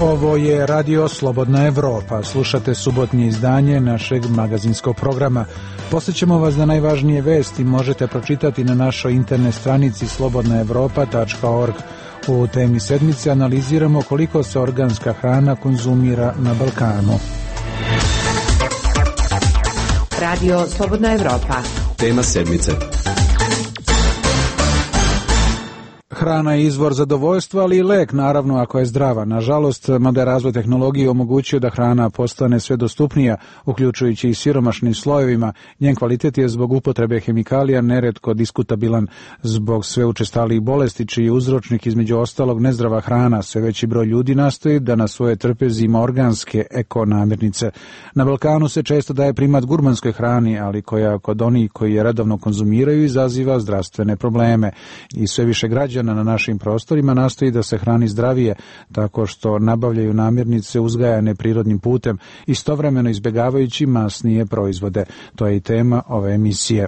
Ovo je Radio Slobodna Evropa. Slušate subotnje izdanje našeg magazinskog programa. Posjećamo vas da najvažnije vesti možete pročitati na našoj internet stranici slobodnaevropa.org. U temi sedmice analiziramo koliko se organska hrana konzumira na Balkanu. Radio Slobodna Evropa. Tema sedmice. Hrana je izvor zadovoljstva, ali i lek, naravno, ako je zdrava. Nažalost, mada je razvoj tehnologije omogućio da hrana postane sve dostupnija, uključujući i siromašnim slojevima, njen kvalitet je zbog upotrebe hemikalija neretko diskutabilan. Zbog sve učestalijih bolesti, čiji je uzročnik između ostalog nezdrava hrana, sve veći broj ljudi nastoji da na svoje trpezi ima organske eko-namirnice. Na Balkanu se često daje primat gurmanskoj hrani, ali koja kod onih koji je redovno konzumiraju izaziva zdravstvene probleme. I sve više građana na našim prostorima nastoji da se hrani zdravije, tako što nabavljaju namirnice uzgajane prirodnim putem, istovremeno izbjegavajući masnije proizvode. To je i tema ove emisije.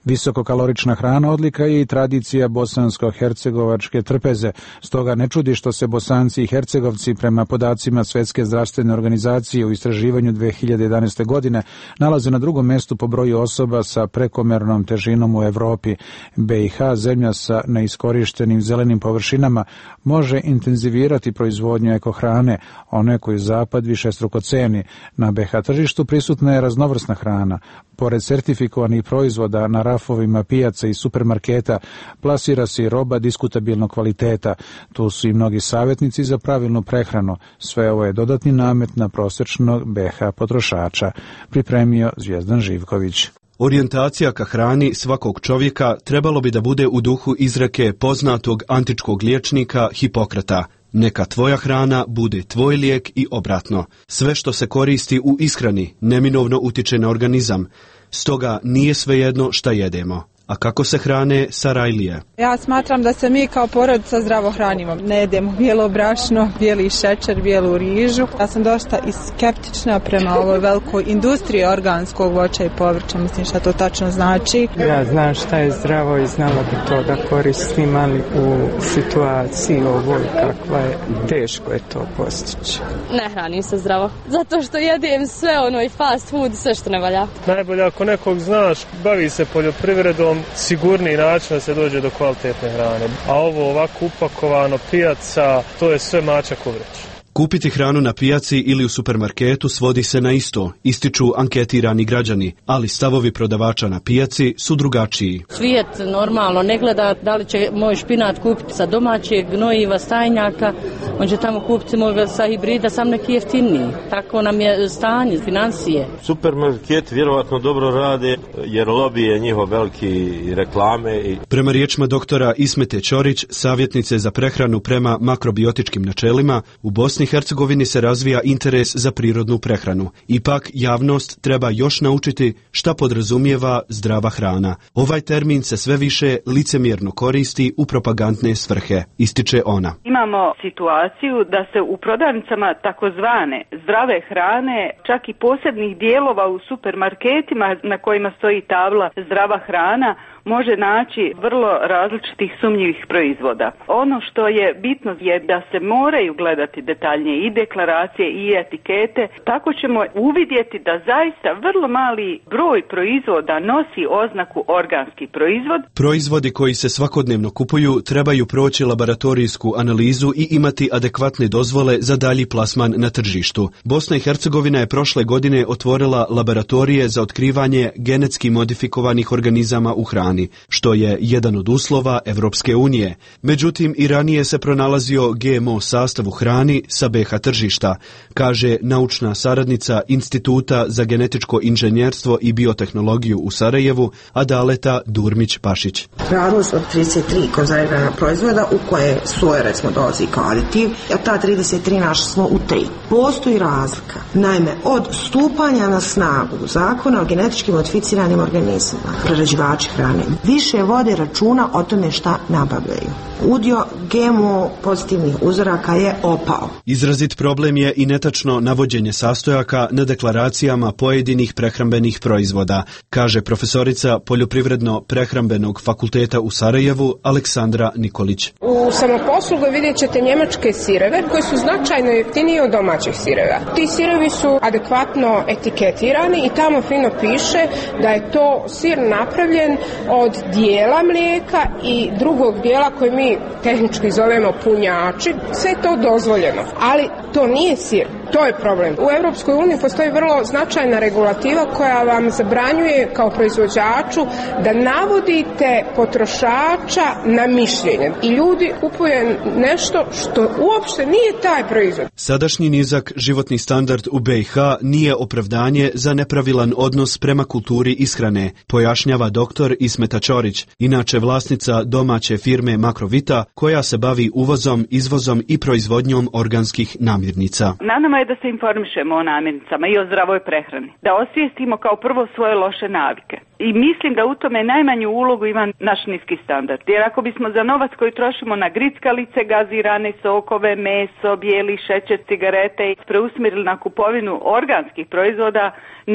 Visokokalorična hrana odlika je i tradicija bosansko-hercegovačke trpeze. Stoga ne čudi što se Bosanci i Hercegovci prema podacima Svjetske zdravstvene organizacije u istraživanju 2011. godine nalaze na drugom mjestu po broju osoba sa prekomernom težinom u Evropi. BiH, zemlja sa neiskorištenim zelenim površinama, može intenzivirati proizvodnju ekohrane, one koju Zapad višestruko ceni. Na BiH tržištu prisutna je raznovrsna hrana. Pored sertifikovanih proizvoda na rafovima pijaca i supermarketa plasira se i roba diskutabilnog kvaliteta. Tu su i mnogi savjetnici za pravilnu prehranu. Sve ovo je dodatni namet na prosječnog BiH potrošača. Pripremio Zvijezdan Živković. Orijentacija ka hrani svakog čovjeka trebalo bi da bude u duhu izreke poznatog antičkog liječnika Hipokrata. Neka tvoja hrana bude tvoj lijek i obratno. Sve što se koristi u ishrani neminovno utiče na organizam. Stoga nije svejedno šta jedemo. A kako se hrane Sarajlije? Ja smatram da se mi kao porodica zdravo hranimo. Ne jedemo bijelo brašno, bijeli šećer, bijelu rižu. Ja sam dosta i skeptična prema ovoj velikoj industriji organskog voća i povrća. Mislim šta to tačno znači. Ja znam šta je zdravo i znala bi to da koristim, ali u situaciji ovoj kakva je, teško je to postići. Ne hranim se zdravo. Zato što jedem sve ono i fast food, sve što ne valja. Najbolje ako nekog znaš, bavi se poljoprivredom, sigurniji način da se dođe do kvalitetne hrane. A ovo ovako upakovano, pijaca, to je sve mačak u vreći. Kupiti hranu na pijaci ili u supermarketu svodi se na isto, ističu anketirani građani, ali stavovi prodavača na pijaci su drugačiji. Svijet normalno ne gleda da li će moj špinat kupiti sa domaćeg gnojiva, stajnjaka, on će tamo kupiti moj sa hibrida, sam neki jeftiniji. Tako nam je stanje, financije. Supermarket vjerovatno dobro rade jer lobije njihov veliki reklame. Prema riječima doktora Ismete Ćorić, savjetnice za prehranu prema makrobiotičkim načelima, u Bosni i Hercegovini se razvija interes za prirodnu prehranu. Ipak, javnost treba još naučiti šta podrazumijeva zdrava hrana. Ovaj termin se sve više licemjerno koristi u propagandne svrhe, ističe ona. Imamo situaciju da se u prodavnicama takozvane zdrave hrane, čak i posebnih dijelova u supermarketima na kojima stoji tabla zdrava hrana, može naći vrlo različitih sumnjivih proizvoda. Ono što je bitno je da se moraju gledati detaljnije i deklaracije i etikete, tako ćemo uvidjeti da zaista vrlo mali broj proizvoda nosi oznaku organski proizvod. Proizvodi koji se svakodnevno kupuju trebaju proći laboratorijsku analizu i imati adekvatne dozvole za dalji plasman na tržištu. Bosna i Hercegovina je prošle godine otvorila laboratorije za otkrivanje genetski modifikovanih organizama u hrani, što je jedan od uslova Evropske unije. Međutim, i ranije se pronalazio GMO sastav u hrani sa BiH tržišta, kaže naučna saradnica Instituta za genetičko inženjerstvo i biotehnologiju u Sarajevu, Adaleta Durmić-Pašić. Radilo se od 33 konzervirana proizvoda u koje soja recimo dolazi kao aditiv, a ta 33 našli smo u 3. Postoji razlika. Naime, od stupanja na snagu zakona o genetički modificiranim organizmima, prerađivači hrane hrane. Više vode računa o tome šta nabavljaju. Udio GMO pozitivnih uzoraka je opao. Izrazit problem je i netačno navođenje sastojaka na deklaracijama pojedinih prehrambenih proizvoda, kaže profesorica Poljoprivredno-prehrambenog fakulteta u Sarajevu Aleksandra Nikolić. U samoposlugu vidjet ćete njemačke sireve koji su značajno jeftiniji od domaćih sireva. Ti sirevi su adekvatno etiketirani i tamo fino piše da je to sir napravljen od dijela mlijeka i drugog dijela koji mi tehnički zovemo punjači. Sve je to dozvoljeno, ali to nije sir. To je problem. U Europskoj uniji postoji vrlo značajna regulativa koja vam zabranjuje kao proizvođaču da navodite potrošača na mišljenje. I ljudi kupuju nešto što uopšte nije taj proizvod. Sadašnji nizak životni standard u BiH nije opravdanje za nepravilan odnos prema kulturi ishrane, pojašnjava doktor Ismeta Ćorić, inače vlasnica domaće firme Makrovita, koja se bavi uvozom, izvozom i proizvodnjom organskih namirnica. Na nama je da se informišemo o namirnicama i o zdravoj prehrani. Da osvijestimo kao prvo svoje loše navike. I mislim da u tome najmanju ulogu ima naš niski standard. Jer ako bismo za novac koji trošimo na grickalice, gazirane sokove, meso, bijeli šećer, cigarete i preusmjerili na kupovinu organskih proizvoda,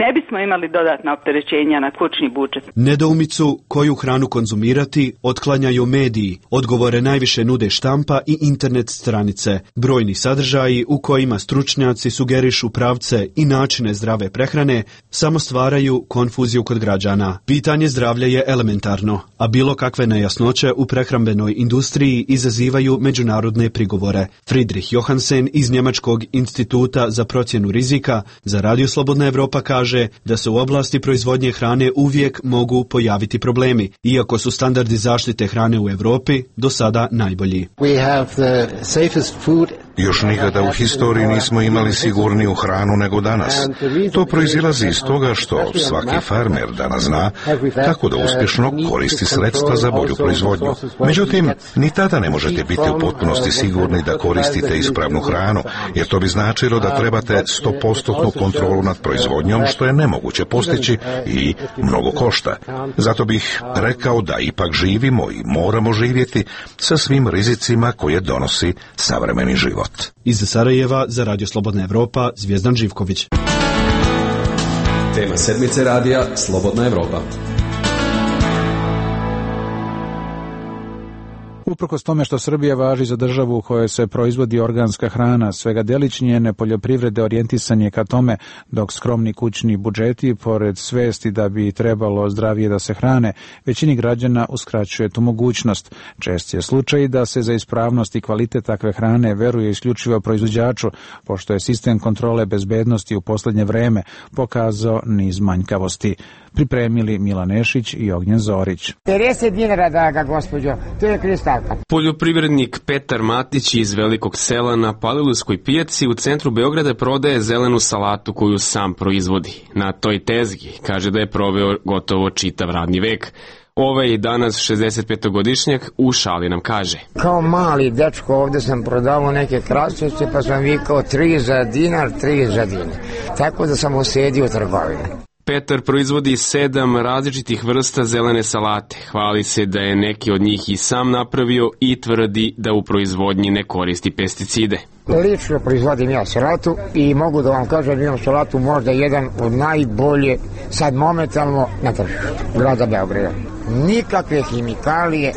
ne bismo imali dodatna opterećenja na kućni budžet. Nedoumicu koju hranu konzumirati otklanjaju mediji. Odgovore najviše nude štampa i internet stranice. Brojni sadržaji u kojima stručnjaci sugerišu pravce i načine zdrave prehrane samo stvaraju konfuziju kod građana. Pitanje zdravlja je elementarno, a bilo kakve nejasnoće u prehrambenoj industriji izazivaju međunarodne prigovore. Friedrich Johansen iz Njemačkog instituta za procjenu rizika za Radio Slobodna Evropa kaže da se u oblasti proizvodnje hrane uvijek mogu pojaviti problemi, iako su standardi zaštite hrane u Europi do sada najbolji. Još nikada u historiji nismo imali sigurniju hranu nego danas. To proizilazi iz toga što svaki farmer danas zna kako da uspješno koristi sredstva za bolju proizvodnju. Međutim, ni tada ne možete biti u potpunosti sigurni da koristite ispravnu hranu, jer to bi značilo da trebate 100% kontrolu nad proizvodnjom, što je nemoguće postići i mnogo košta. Zato bih rekao da ipak živimo i moramo živjeti sa svim rizicima koje donosi savremeni život. Iz Sarajeva za Radio Slobodna Evropa, Zvijezdan Živković. Tema sedmice radija Slobodna Evropa. Uprkos tome što Srbija važi za državu u kojoj se proizvodi organska hrana, svega delić njene poljoprivrede orijentisan je ka tome, dok skromni kućni budžeti, pored svesti da bi trebalo zdravije da se hrane, većini građana uskraćuje tu mogućnost. Čest je slučaj da se za ispravnost i kvalitet takve hrane veruje isključivo proizvođaču, pošto je sistem kontrole bezbednosti u posljednje vreme pokazao niz manjkavosti. Pripremili Milan Nešić i Ognjen Zorić. 50 dinara, draga gospođo, to je kristalka. Poljoprivrednik Petar Matić iz Velikog Sela na Palilulskoj pijaci u centru Beograda prodaje zelenu salatu koju sam proizvodi. Na toj tezgi kaže da je proveo gotovo čitav radni vek. Ovaj danas 65-godišnjak u šali nam kaže. Kao mali dečko ovdje sam prodavao neke krastavce pa sam vikao 3 za dinar, 3 za dinar. Tako da sam osjedio trgovine. Petar proizvodi 7 različitih vrsta zelene salate. Hvali se da je neki od njih i sam napravio i tvrdi da u proizvodnji ne koristi pesticide. Lično proizvodim ja salatu i mogu da vam kažem da imam salatu možda jedan od najbolje sad momentalno na tržištu grada Beograda. Nikakve hemikalije,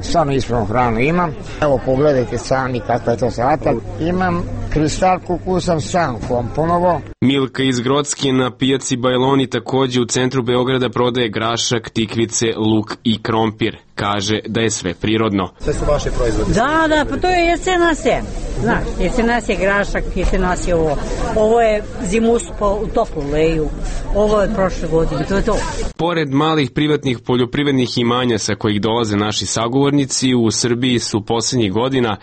samo ispravnu hranu imam. Evo pogledajte sami kakva je to salata. Imam kristalku koju sam sam komponovao. Milka iz Grocke na pijaci Bajloni također u centru Beograda prodaje grašak, tikvice, luk i krompir. Kaže da je sve prirodno. Sve su vaše proizvode? Da, pa to je jesenas je. Znaš, jesenas je grašak, jesenas je ovo. Ovo je zimus u toplu leju. Ovo je prošle godine, to je to. Pored malih privatnih poljoprivrednih imanja sa kojih dolaze naši sagovornici, u Srbiji su posljednjih godina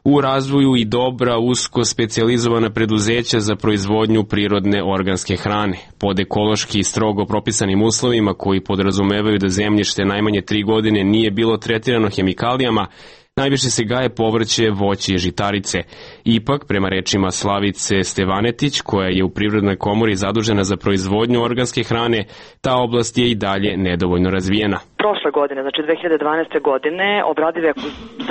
u razvoju i dobra usko specijalizovana preduzeća za proizvodnju prirodne organske hrane. Pod ekološki strogo propisanim uslovima koji podrazumevaju da zemljište najmanje 3 godine nije bilo tretirano hemikalijama, najviše se gaje povrće, voće i žitarice. Ipak, prema rečima Slavice Stevanetić, koja je u Privrednoj komori zadužena za proizvodnju organske hrane, ta oblast je i dalje nedovoljno razvijena. prošle godine, znači 2012. godine, obradive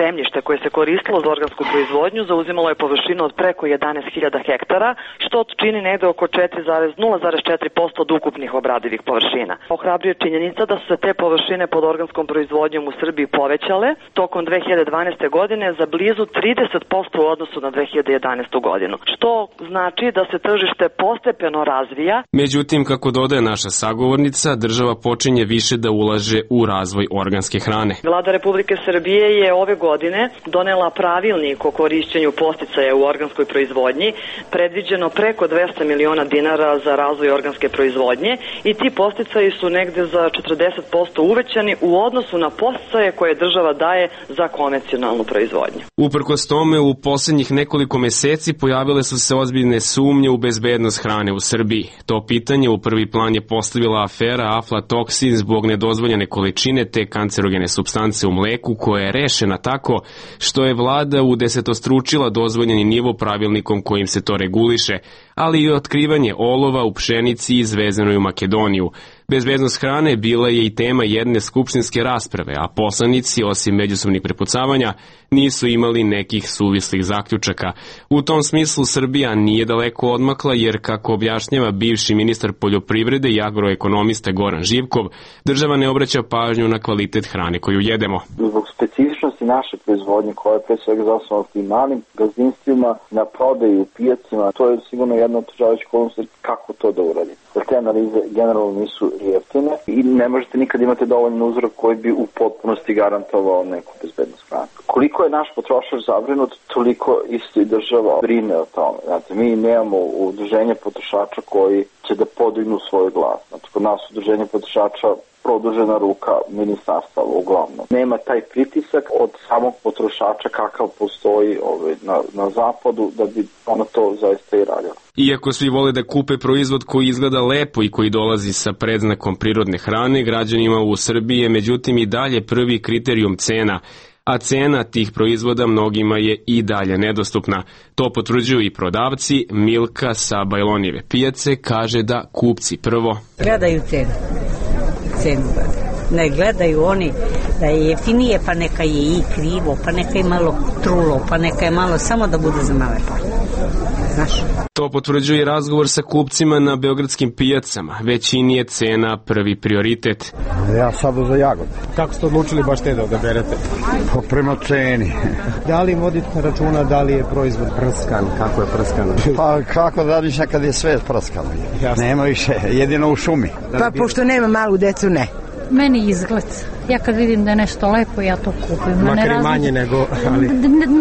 zemljište koje se koristilo za organsku proizvodnju zauzimalo je površinu od preko 11.000 hektara, što čini negde oko 0,4% od ukupnih obradivih površina. Ohrabruje činjenica da su se te površine pod organskom proizvodnjom u Srbiji povećale tokom 2012. godine za blizu 30% u odnosu na 2011. godinu, što znači da se tržište postepeno razvija. Međutim, kako dodaje naša sagovornica, država počinje više da ulaže u razvoj organske hrane. Vlada Republike Srbije je ove godine donela pravilnik o korišćenju podsticaja u organskoj proizvodnji, predviđeno preko 200 miliona dinara za razvoj organske proizvodnje i ti podsticaji su negde za 40% uvećani u odnosu na podsticaje koje država daje za konvencionalnu proizvodnju. Uprkos tome, u poslednjih nekoliko meseci pojavile su se ozbiljne sumnje u bezbednost hrane u Srbiji. To pitanje u prvi plan je postavila afera aflatoksin zbog nedozvoljene količine te kancerogene supstance u mleku, koja je rešena tako što je vlada udesetostručila dozvoljeni nivo pravilnikom kojim se to reguliše, ali i otkrivanje olova u pšenici izvezenoj u Makedoniju. Bezbednost hrane bila je i tema jedne skupštinske rasprave, a poslanici, osim međusobnih prepucavanja, nisu imali nekih suvislih zaključaka. U tom smislu Srbija nije daleko odmakla, jer, kako objašnjava bivši ministar poljoprivrede i agroekonomista Goran Živkov, država ne obraća pažnju na kvalitet hrane koju jedemo. Zbog specifičnosti naše proizvodnje, koja je pre svega zasnovana tim malim gazdinstvima, na prodaju u pijacima, to je sigurno jedna od otežavajućih okolnosti kako to da uradite. Jer te analize generalno nisu jeftine i ne možete nikad imati dovoljan uzorak koji bi u potpunosti garantovao neku bezbednost hrane. Koliko je naš potrošač zabrinut, toliko isto i država brine o tome. Znate, mi nemamo udruženje potrošača koji će da podignu svoj glas. Znači, kod nas udruženje potrošača produžena ruka ministarstva uglavnom. Nema taj pritisak od samog potrošača kakav postoji na zapadu da bi ono to zaista i radilo. Iako svi vole da kupe proizvod koji izgleda lepo i koji dolazi sa predznakom prirodne hrane, građanima u Srbiji je međutim i dalje prvi kriterijum cena, a cena tih proizvoda mnogima je i dalje nedostupna. To potvrđuju i prodavci. Milka sa Bajlonijeve pijace kaže da kupci prvo gledaju cenu ne gledaju oni da je jeftinije, pa neka je i krivo, pa neka je malo trulo, pa neka je malo samo da bude za male pare. Znaš? To potvrđuje i razgovor sa kupcima na beogradskim pijacama. Većini je cena prvi prioritet. Ja sad za jagode. Kako ste odlučili baš te da odaberete? Prema ceni. Da li vodite računa da li je proizvod prskan? Kako je prskan? Pa kako da radiš nekad je sve prskano. Nema više, jedino u šumi. Pa pošto nema malu decu, ne. Meni izgled. Ja kad vidim da je nešto lepo, ja to kupim. Makar i manje nego... Ali...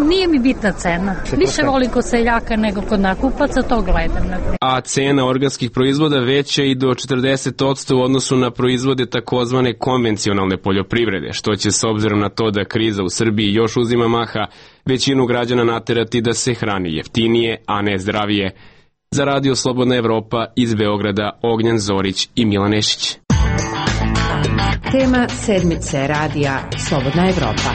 Nije mi bitna cena. Više volim kod seljaka nego kod nakupaca, to gledam. A cena organskih proizvoda veća i do 40% u odnosu na proizvode takozvane konvencionalne poljoprivrede, što će, s obzirom na to da kriza u Srbiji još uzima maha, većinu građana naterati da se hrani jeftinije, a ne zdravije. Za Radio Slobodna Evropa iz Beograda, Ognjan Zorić i Milan Nešić. Tema sedmice radija Slobodna Evropa.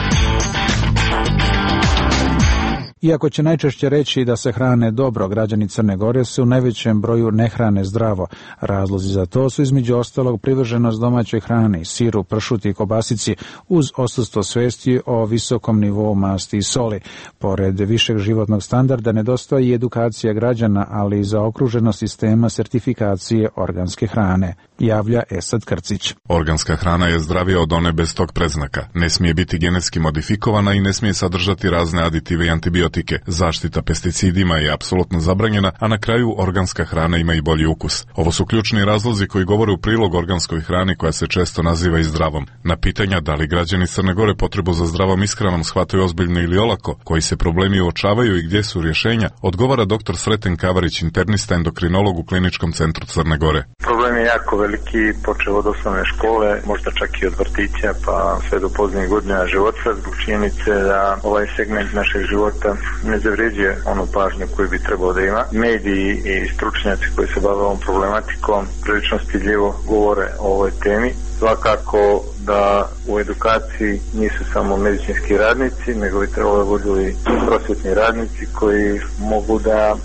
Iako će najčešće reći da se hrane dobro, građani Crne Gore se u najvećem broju ne hrane zdravo. Razlozi za to su između ostalog privrženost domaćoj hrani, siru, pršuti i kobasici, uz odsustvo svesti o visokom nivou masti i soli. Pored višeg životnog standarda nedostaje i edukacija građana, ali i zaokruženost sistema sertifikacije organske hrane, javlja Esad Krcić. Organska hrana je zdravija od one bez tog predznaka. Ne smije biti genetski modifikovana i ne smije sadržati razne aditive i antibiotike. Zaštita pesticidima je apsolutno zabranjena, a na kraju organska hrana ima i bolji ukus. Ovo su ključni razlozi koji govore u prilog organskoj hrani koja se često naziva i zdravom. Na pitanja da li građani Crne Gore potrebu za zdravom ishranom shvataju ozbiljno ili olako, koji se problemi uočavaju i gdje su rješenja, odgovara dr. Sreten Kavarić, internista endokrinolog u Kliničkom centru Crne Gore. Problem je jako veliki, počeo od osnovne škole, možda čak i od vrtića, pa sve do poznijih godina života, zbog činjenice da ovaj segment našeg života ne zavređuje onu pažnju koju bi trebao da ima. Mediji i stručnjaci koji se bave ovom problematikom prilično stidljivo govore o ovoj temi. Svakako da u edukaciji nisu samo medicinski radnici, nego i trebalo da budu i prosvetni radnici koji mogu da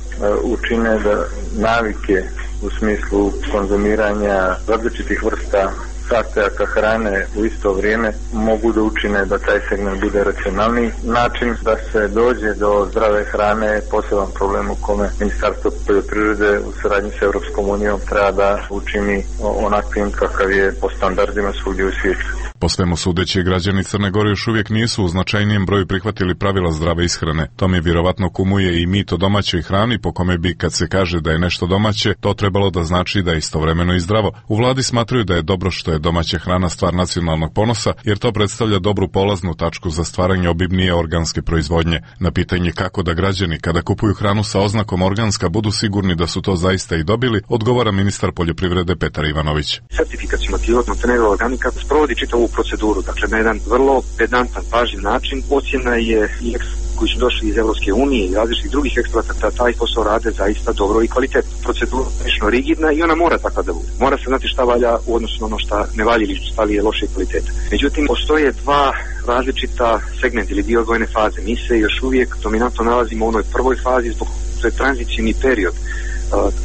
učine da navike u smislu konzumiranja različitih vrsta sastojaka hrane u isto vrijeme mogu da učine da taj segment bude racionalniji. Način da se dođe do zdrave hrane je poseban problem u kome Ministarstvo poljoprivrede u saradnji sa Europskom unijom treba da učini onakvim kakav je po standardima svugdje u svijetu. Po svemu sudeći, građani Crne Gore još uvijek nisu u značajnijem broju prihvatili pravila zdrave ishrane. Tome vjerovatno kumuje i mit o domaćoj hrani, po kome bi, kad se kaže da je nešto domaće, to trebalo da znači da je istovremeno i zdravo. U vladi smatraju da je dobro što je domaća hrana stvar nacionalnog ponosa, jer to predstavlja dobru polaznu tačku za stvaranje obimnije organske proizvodnje. Na pitanje kako da građani, kada kupuju hranu sa oznakom organska, budu sigurni da su to zaista i dobili, odgovara ministar poljoprivrede Petar Ivanović. Sertifikacijom Montenegro organika sprovodi čitavu proceduru, dakle na jedan vrlo pedantan, pažljiv način. Ocjena je i koji su došli iz Evropske unije i različitih drugih eksperata, taj posao rade zaista dobro i kvalitetno. Procedura je prilično rigidna i ona mora takva da bude. Mora se znati šta valja u odnosu na ono šta ne valja ili šta li je loše kvalitete. Međutim, postoje dva različita segmenta ili dio odvojene faze. Mi se još uvijek dominantno nalazimo u onoj prvoj fazi, zbog to je tranzicijni period.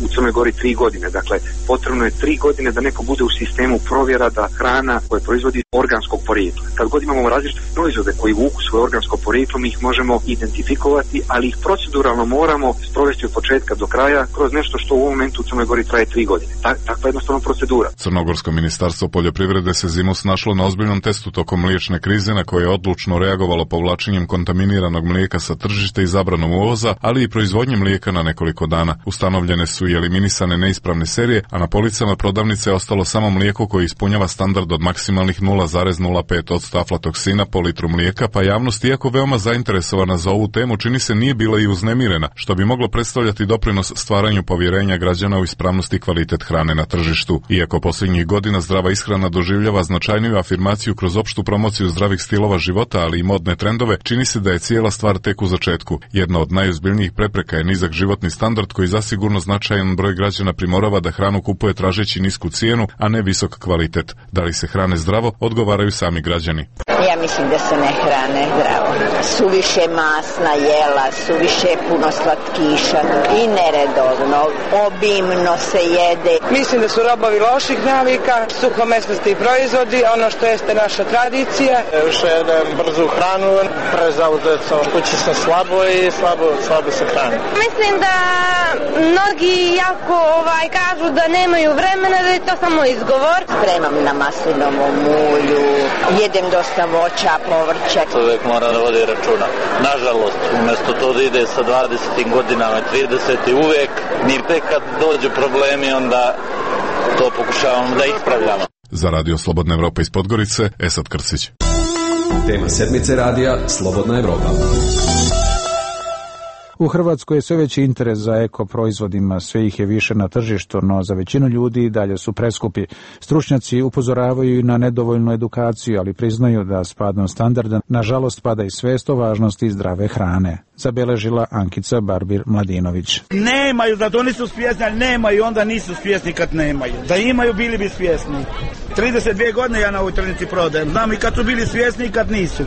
U Crnoj Gori 3 godine. Dakle, potrebno je 3 godine da neko bude u sistemu provjera da hrana koja proizvodi organskog porijekla. Kad god imamo različite proizvode koji vuku svoje organsko porijeklo, mi ih možemo identifikovati, ali ih proceduralno moramo sprovesti od početka do kraja kroz nešto što u ovom momentu u Crnoj Gori traje 3 godine. Takva je jednostavno procedura. Crnogorsko ministarstvo poljoprivrede se zimus našlo na ozbiljnom testu tokom mliječne krize, na koje je odlučno reagovalo povlačenjem kontaminiranog mlijeka sa tržišta i zabranom uvoza, ali i proizvodnje mlijeka na nekoliko dana. Ustanovljene su i eliminisane neispravne serije, a na policama prodavnice je ostalo samo mlijeko koje ispunjava standard od maksimalnih 0,05% aflatoksina po litru mlijeka, pa javnost, iako veoma zainteresovana za ovu temu, čini se nije bila i uznemirena, što bi moglo predstavljati doprinos stvaranju povjerenja građana u ispravnost i kvalitet hrane na tržištu. Iako posljednjih godina zdrava ishrana doživljava značajniju afirmaciju kroz opštu promociju zdravih stilova života, ali i modne trendove, čini se da je cijela stvar tek u začetku. Jedna od najozbiljnijih prepreka je nizak životni standard koji zasigurno značajan broj građana primorava da hranu kupuje tražeći nisku cijenu, a ne visok kvalitet. Da li se hrane zdravo, odgovaraju sami građani. Ja mislim da se ne hrane zdravo. Suviše masna jela, suviše puno slatkiša i neredovno, obimno se jede. Mislim da su robovi loših navika, suhomesnasti proizvodi, ono što jeste naša tradicija. Više jedem brzu hranu, prezauzet sam, kući sam slabo i slabo se hrani. Mislim da mnogi jako kažu da nemaju vremena, da je to samo izgovor. Spremam na maslinovom mulju, jedem dosta voća, povrća. Čovjek mora da vodi računa. Nažalost, umjesto to da ide sa 20. godinama, 30. uvijek, ni tek kad dođu problemi, onda to pokušavamo da ispravljamo. Za Radio Slobodna Evropa iz Podgorice, Esad Krsić. Tema sedmice radija Slobodna Evropa. U Hrvatskoj je sve veći interes za eko proizvodima, sve ih je više na tržištu, no za većinu ljudi i dalje su preskupi. Stručnjaci upozoravaju i na nedovoljnu edukaciju, ali priznaju da s padom standarda nažalost pada i svest o važnosti zdrave hrane. Zabeležila Ankica Barbir-Mladinović. Nemaju, da to nisu svjesni, ali nemaju, onda nisu svjesni kad nemaju. Da imaju, bili bi svjesni. 32 godine ja na ovoj tržnici prodajem. Znam i kad su bili svjesni i kad nisu.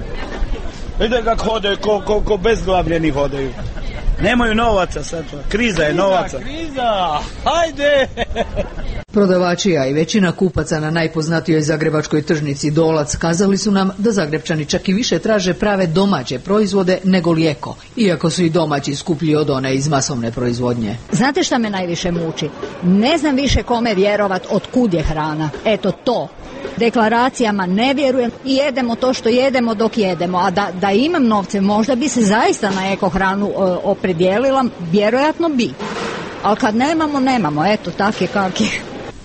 Vidite kako hodaju, ko bezglavljeni hodaju. Nemaju novaca sad, kriza je novaca. Kriza, hajde! Prodavači, a i većina kupaca na najpoznatijoj zagrebačkoj tržnici Dolac kazali su nam da Zagrebčani čak i više traže prave domaće proizvode nego li eko, iako su i domaći skuplji od one iz masovne proizvodnje. Znate šta me najviše muči? Ne znam više kome vjerovat od kud je hrana. Eto to. Deklaracijama ne vjerujem i jedemo to što jedemo dok jedemo, a da imam novce možda bi se zaista na eko hranu opredijelila, vjerojatno bi. Ali kad nemamo, eto, tak je kak je.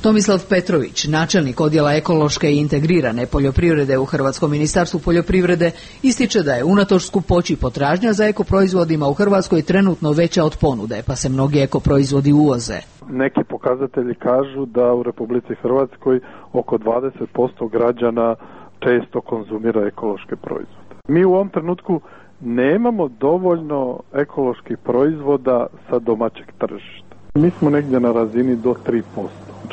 Tomislav Petrović, načelnik odjela ekološke i integrirane poljoprivrede u Hrvatskom ministarstvu poljoprivrede, ističe da je unatoč skupoći potražnja za ekoproizvodima u Hrvatskoj trenutno veća od ponude, pa se mnogi ekoproizvodi uvoze. Neki pokazatelji kažu da u Republici Hrvatskoj oko 20% građana često konzumira ekološke proizvode. Mi u ovom trenutku nemamo dovoljno ekoloških proizvoda sa domaćeg tržišta. Mi smo negdje na razini do 3%.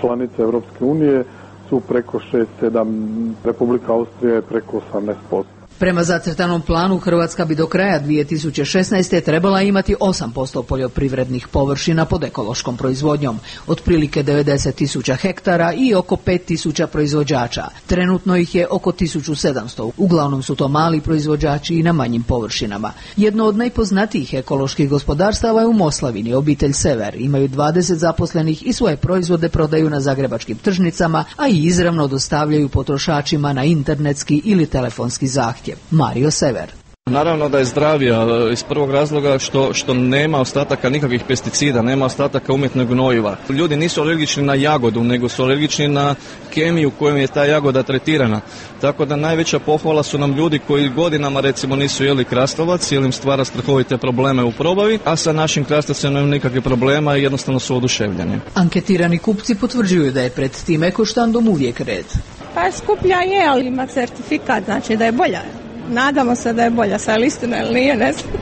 Članice Europske unije su preko 6-7, Republika Austrija je preko 18%. Prema zacrtanom planu, Hrvatska bi do kraja 2016. trebala imati 8% poljoprivrednih površina pod ekološkom proizvodnjom, otprilike 90.000 hektara i oko 5.000 proizvođača. Trenutno ih je oko 1.700. Uglavnom su to mali proizvođači i na manjim površinama. Jedno od najpoznatijih ekoloških gospodarstava je u Moslavini, obitelj Sever. Imaju 20 zaposlenih i svoje proizvode prodaju na zagrebačkim tržnicama, a i izravno dostavljaju potrošačima na internetski ili telefonski zahtjev. Mario Sever. Naravno da je zdravija iz prvog razloga što nema ostataka nikakvih pesticida, nema ostataka umjetnog gnojiva. Ljudi nisu alergični na jagodu, nego su alergični na kemiju kojom je ta jagoda tretirana. Tako da najveća pohvala su nam ljudi koji godinama recimo nisu jeli krastavac jer im stvara strahovite probleme u probavi, a sa našim krastavcem nemaju nikakvih problema i jednostavno su oduševljeni. Anketirani kupci potvrđuju da je pred tim ekoštandom uvijek red. Pa skuplja je, ali ima certifikat, znači da je bolja. Nadamo se da je bolja, sa istina ili nije, ne znam.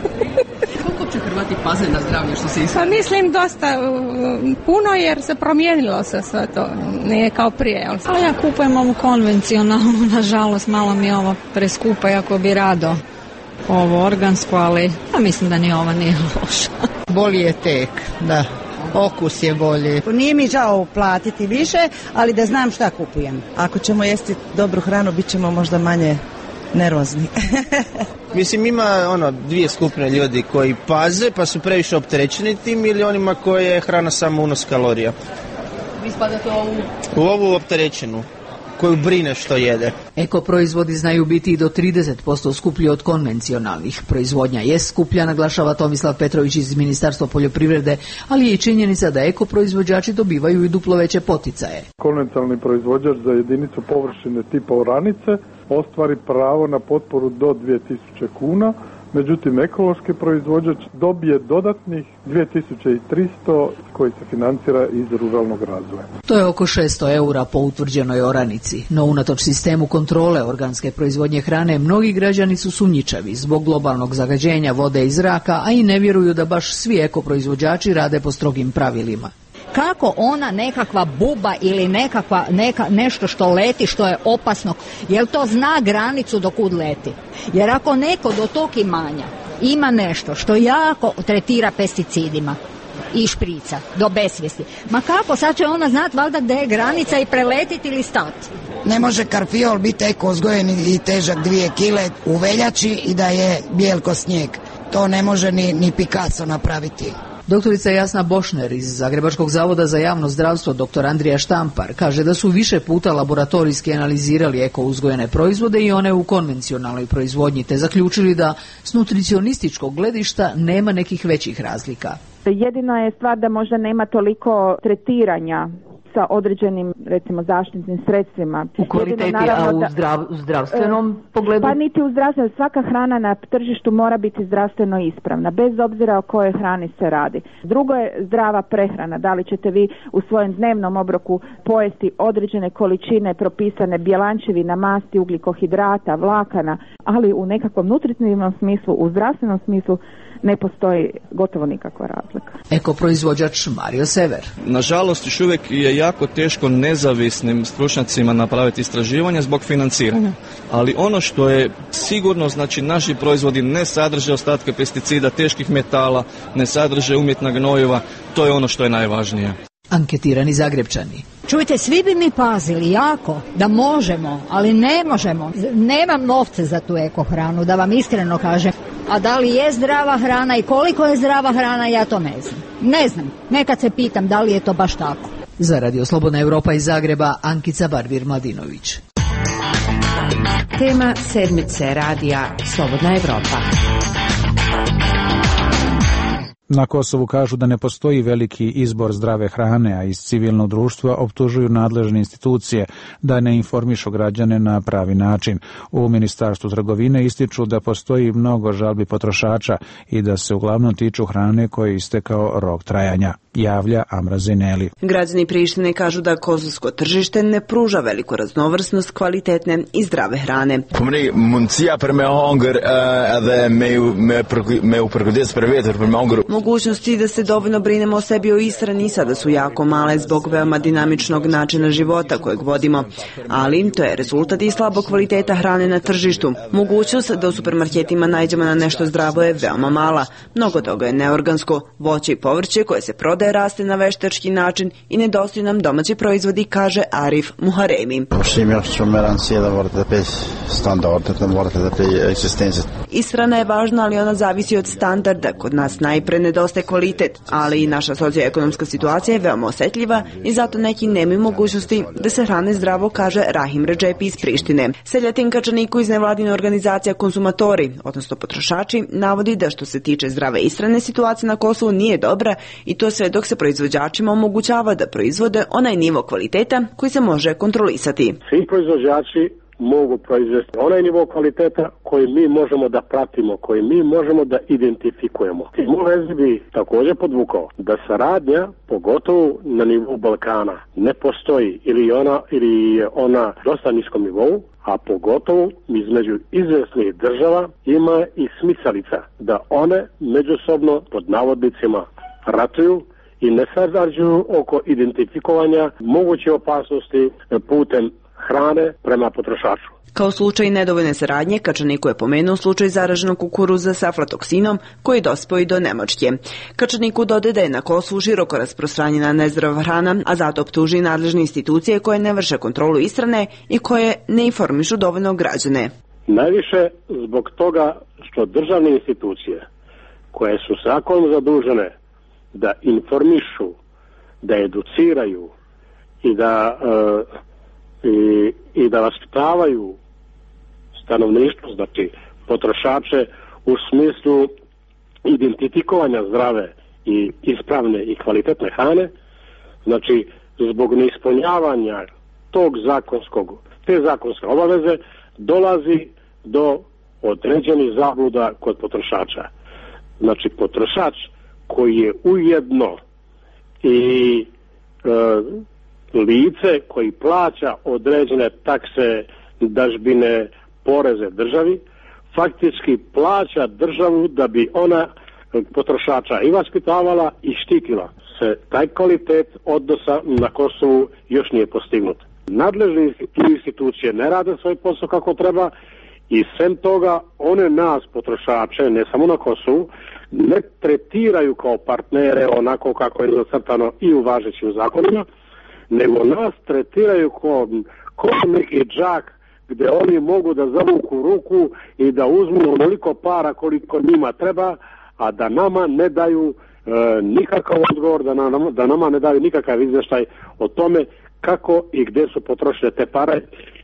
Koliko će Hrvati paze na zdravlje što se Pa mislim dosta puno jer se promijenilo se sve to, nije kao prije. Ali ja kupujem ovu konvencionalnu, nažalost malo mi je ovo preskupa, jako bi rado ovo organsko, ali ja mislim da ni ova nije loša. Bolji je tek, da. Okus je bolji. Nije mi žao platiti više, ali da znam šta kupujem. Ako ćemo jesti dobru hranu, bit ćemo možda manje nervozni. Mislim, ima dvije skupine ljudi koji paze pa su previše opterećeni tim ili onima koje je hrana samo unos kalorija. Vi spadate u ovu opterećenu koju brine što jede. Eko proizvodi znaju biti i do 30% skuplji od konvencionalnih. Proizvodnja je skuplja, naglašava Tomislav Petrović iz Ministarstva poljoprivrede, ali je i činjenica da eko proizvođači dobivaju i duplo veće poticaje. Konvencionalni proizvođač za jedinicu površine tipa oranice ostvari pravo na potporu do 2000 kuna, međutim ekološki proizvođač dobije dodatnih 2300 koji se financira iz ruralnog razvoja. To je oko 600 eura po utvrđenoj oranici, no unatoč sistemu kontrole organske proizvodnje hrane mnogi građani su sumnjičavi zbog globalnog zagađenja vode i zraka, a i ne vjeruju da baš svi ekoproizvođači rade po strogim pravilima. Kako ona nekakva buba ili nešto što leti, što je opasno, jel to zna granicu do kud leti? Jer ako neko do tog imanja ima nešto što jako tretira pesticidima i šprica do besvijesti, ma kako, sad će ona znati valjda gdje je granica i preletiti ili stati? Ne može karfiol biti eko uzgojen i težak 2 kile u veljači i da je bijel ko snijeg. To ne može ni Picasso napraviti. Doktorica Jasna Bošner iz Zagrebačkog zavoda za javno zdravstvo, dr. Andrija Štampar, kaže da su više puta laboratorijski analizirali eko uzgojene proizvode i one u konvencionalnoj proizvodnji, te zaključili da s nutricionističkog gledišta nema nekih većih razlika. Jedina je stvar da možda nema toliko tretiranja sa određenim, recimo, zaštitnim sredstvima. U kvaliteti, a u zdravstvenom pogledu? Pa niti u zdravstvenom. Svaka hrana na tržištu mora biti zdravstveno ispravna, bez obzira o kojoj hrani se radi. Drugo je zdrava prehrana. Da li ćete vi u svojem dnevnom obroku pojesti određene količine propisane bjelančevina, masti, ugljikohidrata, vlakana, ali u nekakvom nutritivnom smislu, u zdravstvenom smislu, ne postoji gotovo nikakva razlika. Ekoproizvođač Mario Sever. Nažalost, još uvijek je jako teško nezavisnim stručnjacima napraviti istraživanje zbog financiranja. Ali ono što je sigurno, znači naši proizvodi ne sadrže ostatke pesticida, teških metala, ne sadrže umjetna gnojiva, to je ono što je najvažnije. Anketirani Zagrebčani. Čujte, svi bi mi pazili jako da možemo, ali ne možemo. Nemam novce za tu ekohranu, da vam iskreno kažem. A da li je zdrava hrana i koliko je zdrava hrana, ja to ne znam. Ne znam, nekad se pitam da li je to baš tako. Za Radio Slobodna Evropa iz Zagreba, Ankica Barbir-Mladinović. Tema sedmice radija Slobodna Evropa. Na Kosovu kažu da ne postoji veliki izbor zdrave hrane, a iz civilnog društva optužuju nadležne institucije da ne informišu građane na pravi način. U Ministarstvu trgovine ističu da postoji mnogo žalbi potrošača i da se uglavnom tiču hrane koje je istekao rok trajanja, javlja Amra Zineli. Građani Prištine kažu da kosovsko tržište ne pruža veliku raznovrsnost kvalitetne i zdrave hrane. mogućnosti da se dovoljno brinemo o sebi i o ishrani sada su jako male zbog veoma dinamičnog načina života kojeg vodimo, ali to je rezultat i slabog kvaliteta hrane na tržištu. Mogućnost da u supermarketima nađemo na nešto zdravo je veoma mala. Mnogo toga je neorgansko. Voće i povrće koje se prodaje raste na veštački način i nedostaju nam domaći proizvodi, kaže Arif Muharemi. Ishrana je važna, ali ona zavisi od standarda. Kod nas najpre nedostaje kvalitet, ali i naša socioekonomska situacija je veoma osetljiva i zato neki nemaju mogućnosti da se hrane zdravo, kaže Rahim Redžepi iz Prištine. Seljatin Kačaniku iz nevladine organizacija Konzumatori, odnosno potrošači, navodi da što se tiče zdrave ishrane, situacija na Kosovu nije dobra i to sve dok se proizvođačima omogućava da proizvode onaj nivo kvaliteta koji se može kontrolisati. Svi proizvođači mogu proizvesti onaj nivo kvaliteta koji mi možemo da pratimo, koji mi možemo da identifikujemo. U vezi bi također podvukao da saradnja, pogotovo na nivou Balkana, ne postoji ili je ona dosta niskom nivou, a pogotovo između izvesnih država ima i smicalica da one međusobno pod navodnicima ratuju i ne sarađuju oko identifikovanja moguće opasnosti putem hrane prema potrošaču. Kao slučaj nedovoljne saradnje, Kačaniku je pomenuo slučaj zaraženog kukuruza sa aflatoksinom koji je dospeo i do Nemačke. Kačaniku dodaje da je na Kosovu široko rasprostranjena nezdrava hrana, a zato optuži nadležne institucije koje ne vrše kontrolu ishrane i koje ne informišu dovoljno građane. Najviše zbog toga što državne institucije koje su zakonom zadužene da informišu, da educiraju i da vaspitavaju stanovništvo, znači potrošače u smislu identifikovanja zdrave i ispravne i kvalitetne hrane, znači zbog neispunjavanja te zakonske obaveze dolazi do određenih zabluda kod potrošača. Znači potrošač koji je ujedno i lice koji plaća određene takse, dažbine, poreze državi, faktički plaća državu da bi ona potrošača i vaspitavala i štitila. Taj kvalitet odnosa na Kosovu još nije postignut. Nadležne institucije ne rade svoj posao kako treba i sem toga one nas potrošače, ne samo na Kosovu, ne tretiraju kao partnere onako kako je zacrtano i u važećim zakonima, nego nas tretiraju kao neki džak gdje oni mogu da zavuku ruku i da uzmu onoliko para koliko njima treba, a da nama ne daju nikakav odgovor, da nama ne daju nikakav izvještaj o tome kako i gdje su potrošene te pare,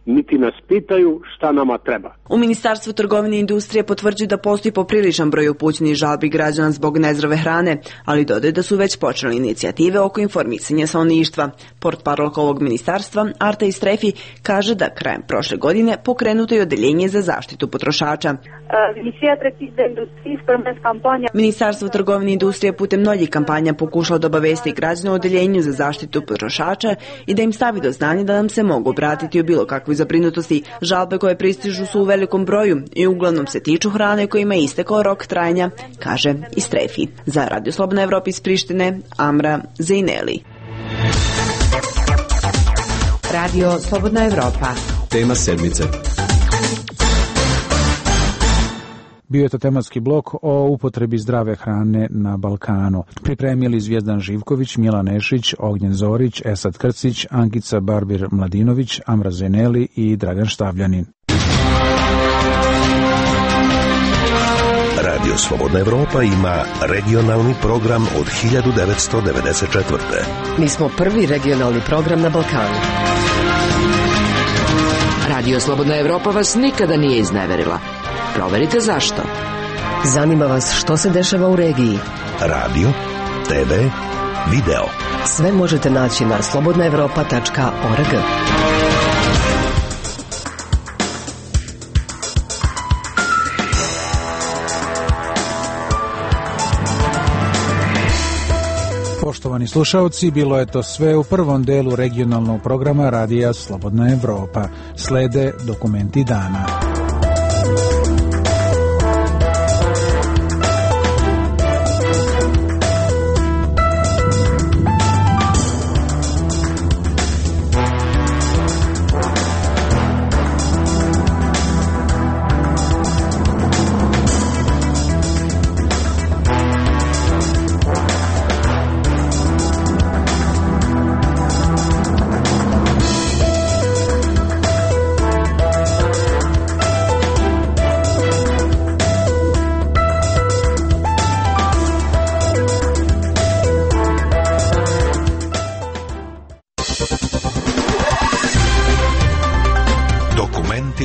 niti nas pitaju šta nama treba. U Ministarstvu trgovine i industrije potvrđuju da postoji popriličan broj upućenih žalbi građana zbog nezdrave hrane, ali dodaju da su već počeli inicijative oko informisanja stanovništva. Portparolka ovog ministarstva, Arta Istrefi, kaže da krajem prošle godine pokrenuto je odeljenje za zaštitu potrošača. Ministarstvo trgovine i industrije putem mnogih kampanja pokušalo da obavesti građane o odeljenju za zaštitu potrošača i da im stavi do znanja da nam se mogu obratiti u bilo kakvoj zabrinutosti. Žalbe koje pristižu su u velikom broju i uglavnom se tiču hrane kojima je istekao rok trajanja, kaže Istrefi. Za Radio Slobodna Evropa iz Prištine, Amra Zejneli. Radio Slobodna Evropa. Tema sedmice. Bio je to tematski blok o upotrebi zdrave hrane na Balkanu. Pripremili Zvijezdan Živković, Milan Nešić, Ognjen Zorić, Esad Krcić, Ankica Barbir Mladinović, Amra Zeneli i Dragan Štavljanin. Radio Slobodna Evropa ima regionalni program od 1994. Mi smo prvi regionalni program na Balkanu. Radio Slobodna Evropa vas nikada nije izneverila. Proverite zašto. Zanima vas što se dešava u regiji. Radio, TV, video. Sve možete naći na slobodnaevropa.org. Poštovani slušalci, bilo je to sve u prvom delu regionalnog programa Radija Slobodna Evropa. Slede dokumenti dana.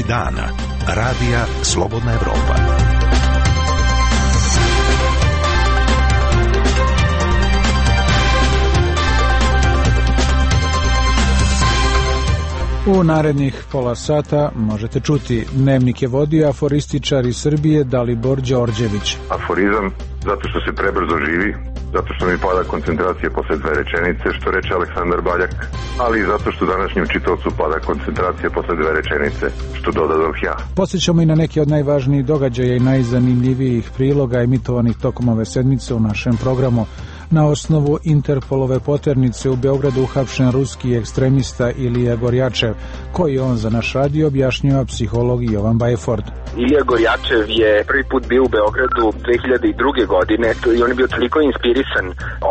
Vesti dana. Radija Slobodna Evropa. U narednih pola sata možete čuti. Dnevnik je vodio aforističar iz Srbije Dalibor Đorđević. Aforizam zato što se prebrzo živi, zato što mi pada koncentracija posle 2 rečenice, što reče Aleksandar Baljak, ali i zato što današnjem čitaocu pada koncentracija posle 2 rečenice, što dodadoh ja. Posjećamo i na neke od najvažnijih događaja i najzanimljivijih priloga emitovanih tokom ove sedmice u našem programu. Na osnovu Interpolove poternice u Beogradu uhapšen ruski ekstremista Ilija Gorjačev, koji on za naš radio objašnjava psiholog Jovan Bajford. Ilija Gorjačev je prvi put bio u Beogradu 2002. godine i on je bio toliko inspirisan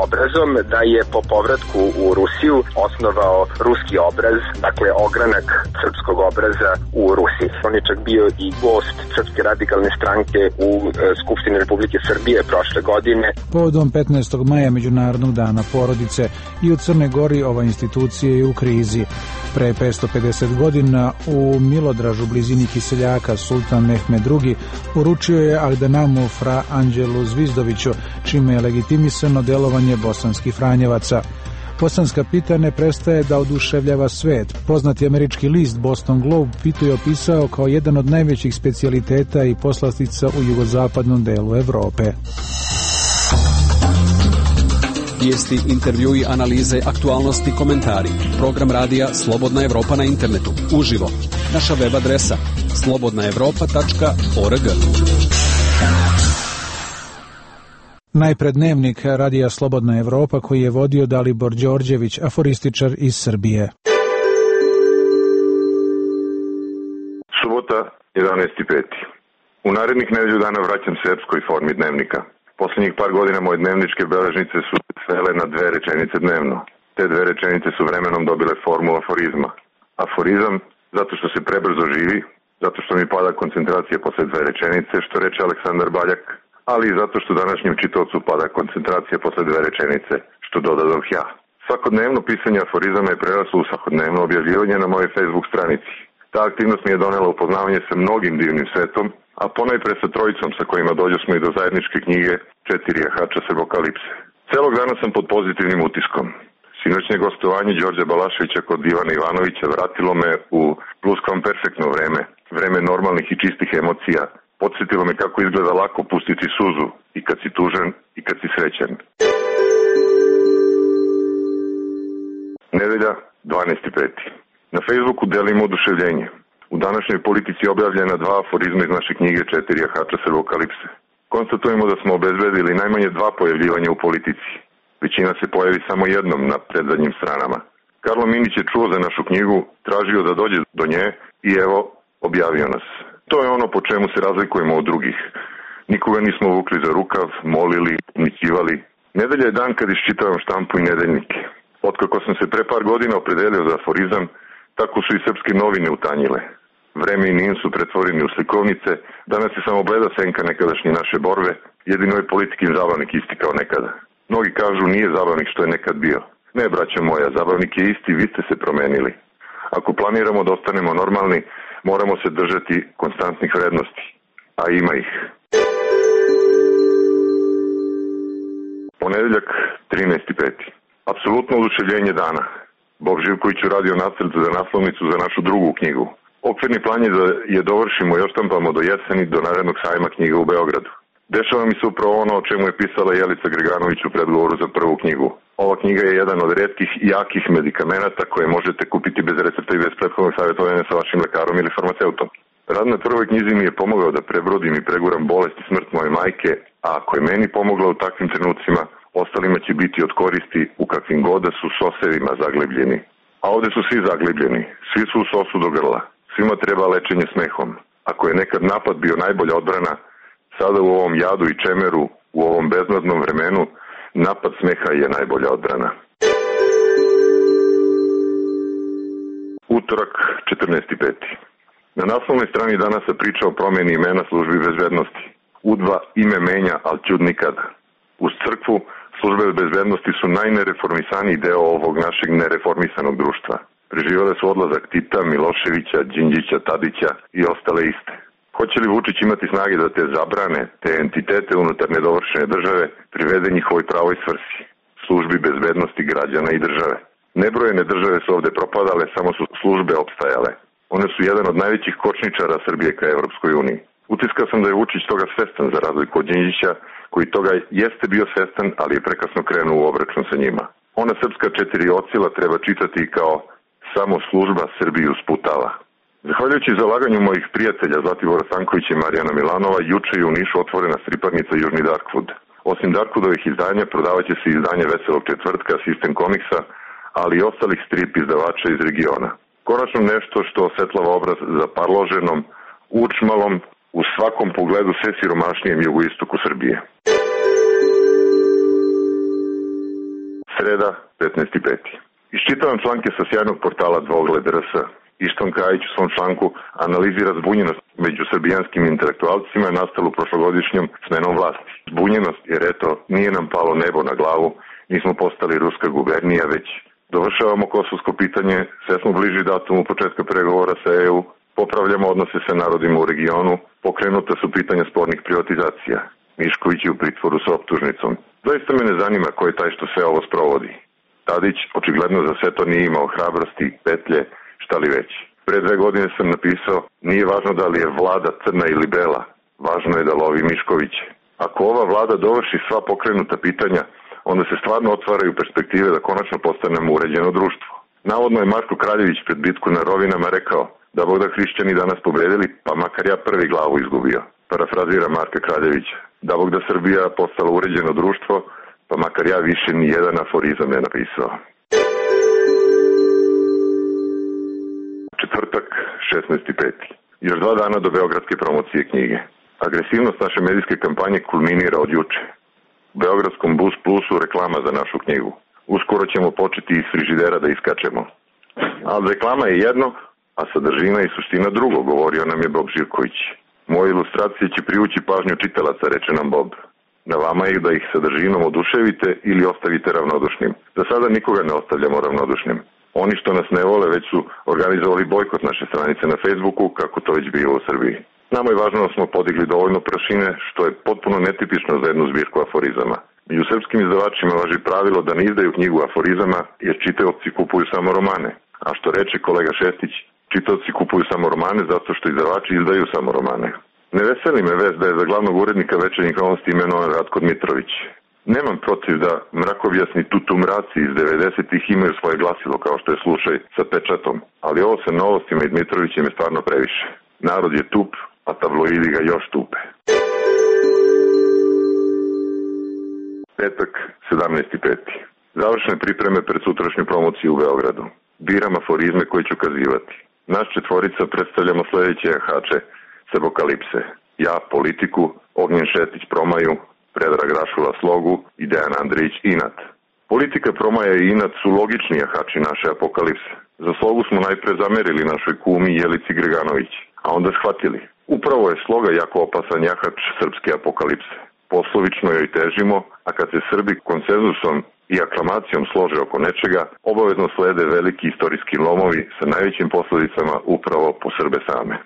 obrazom da je po povratku u Rusiju osnovao ruski obraz, dakle ogranak srpskog obraza u Rusiji. On je čak bio i gost Srpske radikalne stranke u Skupštini Republike Srbije prošle godine. Povodom 15. maja Međunarodnog dana porodice i u Crnoj Gori ova institucija je u krizi. Pre 550 godina u Milodražu, blizini Kiseljaka, sultan Mehmed II uručio je Agdanamu fra Anđelu Zvizdoviću, čime je legitimisano delovanje bosanskih Franjevaca. Bosanska pita ne prestaje da oduševljava svet. Poznati američki list Boston Globe pitu je opisao kao jedan od najvećih specijaliteta i poslastica u jugozapadnom delu Evrope. Vijesti, intervjui, analize, aktualnosti, komentari. Program radija Slobodna Evropa na internetu. Uživo. Naša web adresa slobodnaevropa.org. Najpred dnevnik radija Slobodna Evropa koji je vodio Dalibor Đorđević, aforističar iz Srbije. Subota, 11.5. U narednih nedelju dana vraćam se epskoj formi dnevnika. Poslednjih par godina moje dnevničke beležnice su svele na 2 rečenice dnevno. Te 2 rečenice su vremenom dobile formu aforizma. Aforizam zato što se prebrzo živi, zato što mi pada koncentracija posle 2 rečenice, što reče Aleksandar Baljak, ali i zato što današnjem čitaocu pada koncentracija posle 2 rečenice, što dodadoh ja. Svakodnevno pisanje aforizama je preraslo u svakodnevno objavljivanje na mojoj Facebook stranici. Ta aktivnost mi je donela upoznavanje sa mnogim divnim svetom, a ponajpre sa trojicom sa kojima dođosmo i do zajedničke knjige 4 jahača Srbokalipse. Celog dana sam pod pozitivnim utiskom. Sinoćnje gostovanje Đorđa Balaševića kod Ivana Ivanovića vratilo me u pluskvamperfektno vreme, vreme normalnih i čistih emocija. Podsjetilo me kako izgleda lako pustiti suzu i kad si tužan i kad si srećan. Nedelja, 12.5. Na Facebooku delimo oduševljenje. U današnjoj politici objavljena 2 aforizma iz naše knjige 4 jahača Srbokalipse. Konstatujemo da smo obezbedili najmanje 2 pojavljivanja u politici. Većina se pojavi samo jednom na predzadnjim stranama. Karlo Minić je čuo za našu knjigu, tražio da dođe do nje i evo, objavio nas. To je ono po čemu se razlikujemo od drugih. Nikoga nismo vukli za rukav, molili, umićivali. Nedelja je dan kad iščitavam štampu i nedeljnike. Otkako sam se pre par godina opredelio za aforizam, tako su i srpske novine utanjile. Vreme i NIN su pretvoreni u slikovnice, danas je samo bleda senka nekadašnje naše borbe, jedino je politikin zabavnik isti kao nekada. Mnogi kažu nije zabavnik što je nekad bio. Ne, braćo moja, zabavnik je isti, vi ste se promenili. Ako planiramo da ostanemo normalni, moramo se držati konstantnih vrednosti, a ima ih. Ponedeljak, 13.5. Apsolutno oduševljenje dana. Bob Živković uradio nacrt za naslovnicu za našu drugu knjigu. Okvirni plan je da je dovršimo i oštampamo do jeseni, do narednog sajma knjiga u Beogradu. Dešava mi se upravo ono o čemu je pisala Jelica Greganović u predgovoru za prvu knjigu. Ova knjiga je jedan od retkih jakih medikamenata koje možete kupiti bez recepta i bez prethodnog savjetovanja sa vašim lekarom ili farmaceutom. Rad na prvoj knjizi mi je pomogao da prebrodim i preguram bolest i smrt moje majke, a ako je meni pomogla u takvim trenucima, ostalima će biti od koristi u kakvim god da su sosevima zaglebljeni. A ovde su svi zaglebljeni, svi su u sosu do grla, svima treba lečenje smehom. Ako je nekad napad bio najbolja odbrana, sada u ovom jadu i čemeru, u ovom beznadnom vremenu, napad smeha je najbolja odbrana. Utorak, 14.5. Na naslovnoj strani danas se priča o promjeni imena službi bezbednosti. U2 ime menja, ali čud nikada. Uz crkvu, službe bezbednosti su najnereformisaniji deo ovog našeg nereformisanog društva. Preživele su odlazak Tita, Miloševića, Đinđića, Tadića i ostale iste. Hoće li Vučić imati snage da te zabrane, te entitete unutar nedovršene države privede njihovoj pravoj svrsi, službi bezbednosti građana i države? Nebrojene države su ovde propadale, samo su službe opstajale. One su jedan od najvećih kočničara Srbije ka Evropskoj uniji. Utiskao sam da je Vučić toga svestan za razliku od Đinđića, koji toga jeste bio svestan, ali je prekasno krenuo u obračun sa njima. Ona srpska 4 ocila treba čitati kao samo služba Srbiju sputava. Zahvaljujući zalaganju mojih prijatelja Zlatibora Stankovića i Marijana Milanova, juče je u Nišu otvorena striparnica Južni Darkwood. Osim Darkwoodovih izdanja, prodavaće se izdanje Veselog četvrtka, System Comicsa, ali i ostalih strip izdavača iz regiona. Konačno nešto što osvetlava obraz za parloženom, učmalom, u svakom pogledu sve siromašnijem jugoistoku Srbije. Sreda, 15.5. Iščitavam članke sa sjajnog portala Dvogled RS. Išton Kajić u svom članku analizira zbunjenost među srbijanskim intelektualcima nastalu prošlogodišnjom smenom vlasti. Zbunjenost jer eto, nije nam palo nebo na glavu, nismo postali ruska gubernija, već dovršavamo kosovsko pitanje, sve smo bliži datumu početka pregovora sa EU, popravljamo odnose sa narodima u regionu, pokrenuta su pitanja spornih privatizacija. Mišković je u pritvoru sa optužnicom. Zaista me ne zanima ko je taj što sve ovo sprovodi. Tadić očigledno za sve to nije imao hrabrosti, petlje, šta li već. Pre 2 godine sam napisao, nije važno da li je vlada crna ili bela, važno je da lovi Miškoviće. Ako ova vlada dovrši sva pokrenuta pitanja, onda se stvarno otvaraju perspektive da konačno postanemo uređeno društvo. Navodno je Marko Kraljević pred bitku na Rovinama rekao da Bog da hrišćani danas pobedili, pa makar ja prvi glavu izgubio. Parafrazira Marka Kraljevića. Da Bog da Srbija postala uređeno društvo, pa makar ja više ni jedan aforizam ne napisao. Četvrtak, 16.5. Još 2 dana do beogradske promocije knjige. Agresivnost naše medijske kampanje kulminira od juče. U beogradskom Bus Plusu reklama za našu knjigu. Uskoro ćemo početi iz frižidera da iskačemo. Ali reklama je jedno, a sadržina i suština drugo, govorio nam je Bob Živković. Moje ilustracije će privući pažnju čitalaca, reče nam Bob. Na vama je da ih sadržinom oduševite ili ostavite ravnodušnim. Za sada nikoga ne ostavljamo ravnodušnim. Oni što nas ne vole već su organizovali bojkot naše stranice na Facebooku, kako to već bilo u Srbiji. Nama je važno da smo podigli dovoljno prašine, što je potpuno netipično za jednu zbirku aforizama. Među srpskim izdavačima važi pravilo da ne izdaju knjigu aforizama, jer čitaoci kupuju samo romane. A što reče kolega Šestić, čitaoci kupuju samo romane zato što izdavači izdaju samo romane. Ne veseli me vest da je za glavnog urednika Večernjih novosti imenovan Ratko Dmitrović. Nemam protiv da mrakovjasni tutumraci iz 90-ih imaju svoje glasilo kao što je slučaj sa pečatom, ali ovo sa novostima i Dmitrovićem je stvarno previše. Narod je tup, a tabloidi ga još tupe. Petak, 17.5. Završene pripreme pred sutrašnju promociju u Beogradu. Biram aforizme koje ću kazivati. Naš četvorica predstavljamo sledeće jahače s Apokalipse. Ja politiku, Ognjen Šetić promaju, Predrag Rašula slogu i Dejan Andrić inat. Politika, promaja i inat su logični jahači naše Apokalipse. Za slogu smo najpre zamerili našoj kumi Jelici Greganović, a onda shvatili. Upravo je sloga jako opasan jahač srpske Apokalipse. Poslovično joj težimo, a kad se Srbi konsenzusom i aklamacijom slože oko nečega, obavezno slede veliki istorijski lomovi sa najvećim posledicama upravo po Srbe same.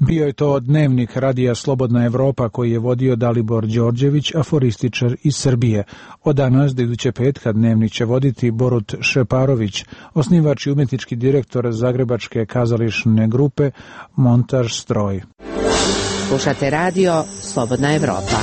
Bio je to dnevnik radija Slobodna Evropa koji je vodio Dalibor Đorđević, aforističar iz Srbije. Od danas do iduće petka dnevnik će voditi Borut Šeparović, osnivač i umjetnički direktor Zagrebačke kazališne grupe Montaž Stroj. Slušate radio Slobodna Evropa.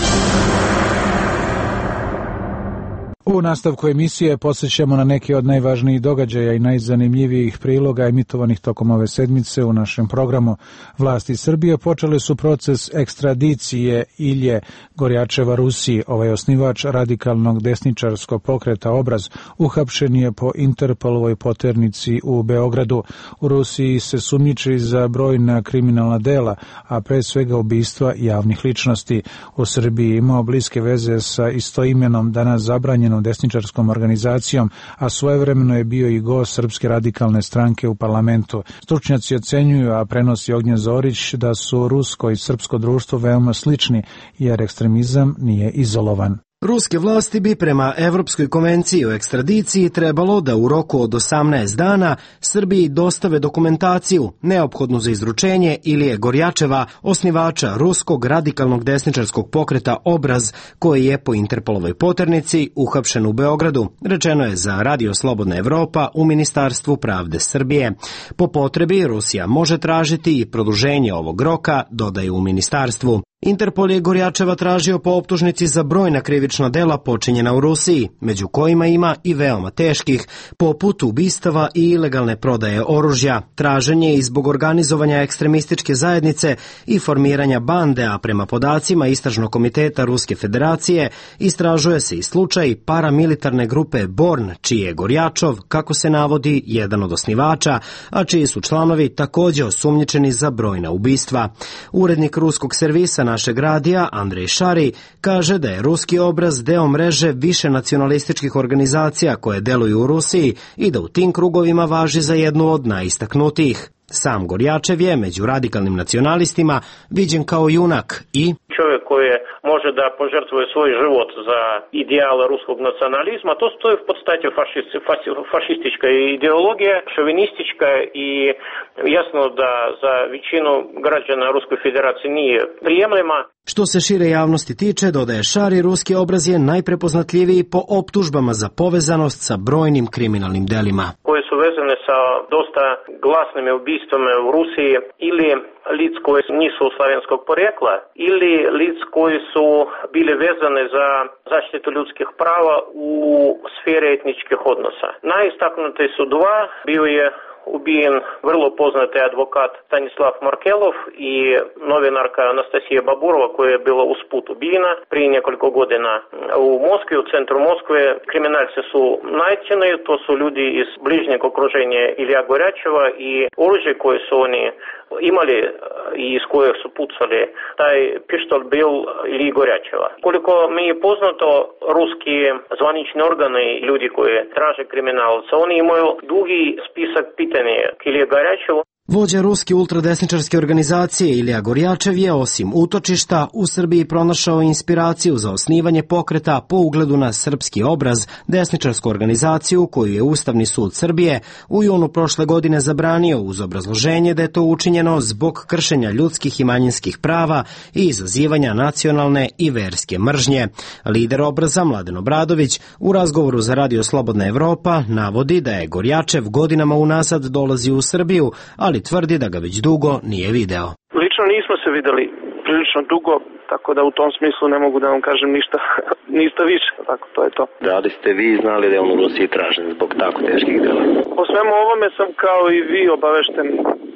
U nastavku emisije posjećamo na neke od najvažnijih događaja i najzanimljivijih priloga emitovanih tokom ove sedmice u našem programu. Vlasti Srbije počele su proces ekstradicije Ilje Gorjačeva Rusiji. Ovaj osnivač radikalnog desničarskog pokreta Obraz uhapšen je po Interpolovoj poternici u Beogradu. U Rusiji se sumnjiči za brojna kriminalna dela, a pre svega ubistva javnih ličnosti. U Srbiji imao bliske veze sa istoimenom, danas zabranjenom desničarskom organizacijom, a svojevremeno je bio i gost Srpske radikalne stranke u parlamentu. Stručnjaci ocenjuju, a prenosi Ognjen Zorić, da su rusko i srpsko društvo veoma slični, jer ekstremizam nije izolovan. Ruske vlasti bi prema Evropskoj konvenciji o ekstradiciji trebalo da u roku od 18 dana Srbiji dostave dokumentaciju neophodnu za izručenje Ilije Gorjačeva, osnivača ruskog radikalnog desničarskog pokreta Obraz, koji je po Interpolovoj poternici uhapšen u Beogradu, rečeno je za Radio Slobodna Evropa u Ministarstvu pravde Srbije. Po potrebi Rusija može tražiti i produženje ovog roka, dodaju u ministarstvu. Interpol je Gorjačeva tražio po optužnici za brojna krivična dela počinjena u Rusiji, među kojima ima i veoma teških, poput ubistava i ilegalne prodaje oružja, traženje i zbog organizovanja ekstremističke zajednice i formiranja bande, a prema podacima Istražnog komiteta Ruske federacije istražuje se i slučaj paramilitarne grupe Born, čiji je Gorjačov, kako se navodi, jedan od osnivača, a čiji su članovi također osumnjičeni za brojna ubistva. Urednik ruskog servisa našeg radija, Andrej Šari, kaže da je Ruski Obraz deo mreže više nacionalističkih organizacija koje deluju u Rusiji i da u tim krugovima važi za jednu od najistaknutijih. Sam Gorjačev je među radikalnim nacionalistima viđen kao junak i čovjek koji može da požrtvuje svoj život za ideale ruskog nacionalizma, to stoji v podstati fašistička ideologija, šovinistička i jasno da za većinu građana Ruske federacije nije prijemljiva. Što se šire javnosti tiče, dodaje Šari, Ruski Obraz je najprepoznatljiviji po optužbama za povezanost sa brojnim kriminalnim delima. Koje su vezane sa dosta glasnim ubistvima u Rusiji ili lic koji nisu slavenskog porekla ili lic koji su bili vezane za zaštitu ljudskih prava u sferi etničkih odnosa. Najistaknuti su dva, bio je ubijen vrlo poznati advokat Stanislav Markelov i novinarka Anastasija Baburova koja je bila usput ubijena prije nekoliko godina u Moskvi, u centru Moskve. Kriminalci su nađeni, to su ljudi iz bližnjeg okruženja Ilija Gorjačeva i oružje koje su oni imali i iz kojeg su pucali, taj pištolj bil Iliji Gorjačeva. Koliko mi je poznato, ruski zvanični organi, ljudi koji traže kriminalca, oni imaju dugi spisak pitanja k Iliji Gorjačevu. Vođa ruske ultradesničarske organizacije Ilija Gorjačev je osim utočišta u Srbiji pronašao inspiraciju za osnivanje pokreta po ugledu na Srpski Obraz, desničarsku organizaciju koju je Ustavni sud Srbije u junu prošle godine zabranio uz obrazloženje da je to učinjeno zbog kršenja ljudskih i manjinskih prava i izazivanja nacionalne i verske mržnje. Lider Obraza Mladen Obradović u razgovoru za Radio Slobodna Evropa navodi da je Gorjačev godinama unazad dolazi u Srbiju, ali tvrdi da ga već dugo nije video. Lično nismo se videli prilično dugo, tako da u tom smislu ne mogu da vam kažem ništa više, tako to je to. Da li ste vi znali da je on u Rusiji tražen zbog tako teških dela? O svemu ovome sam kao i vi obavešten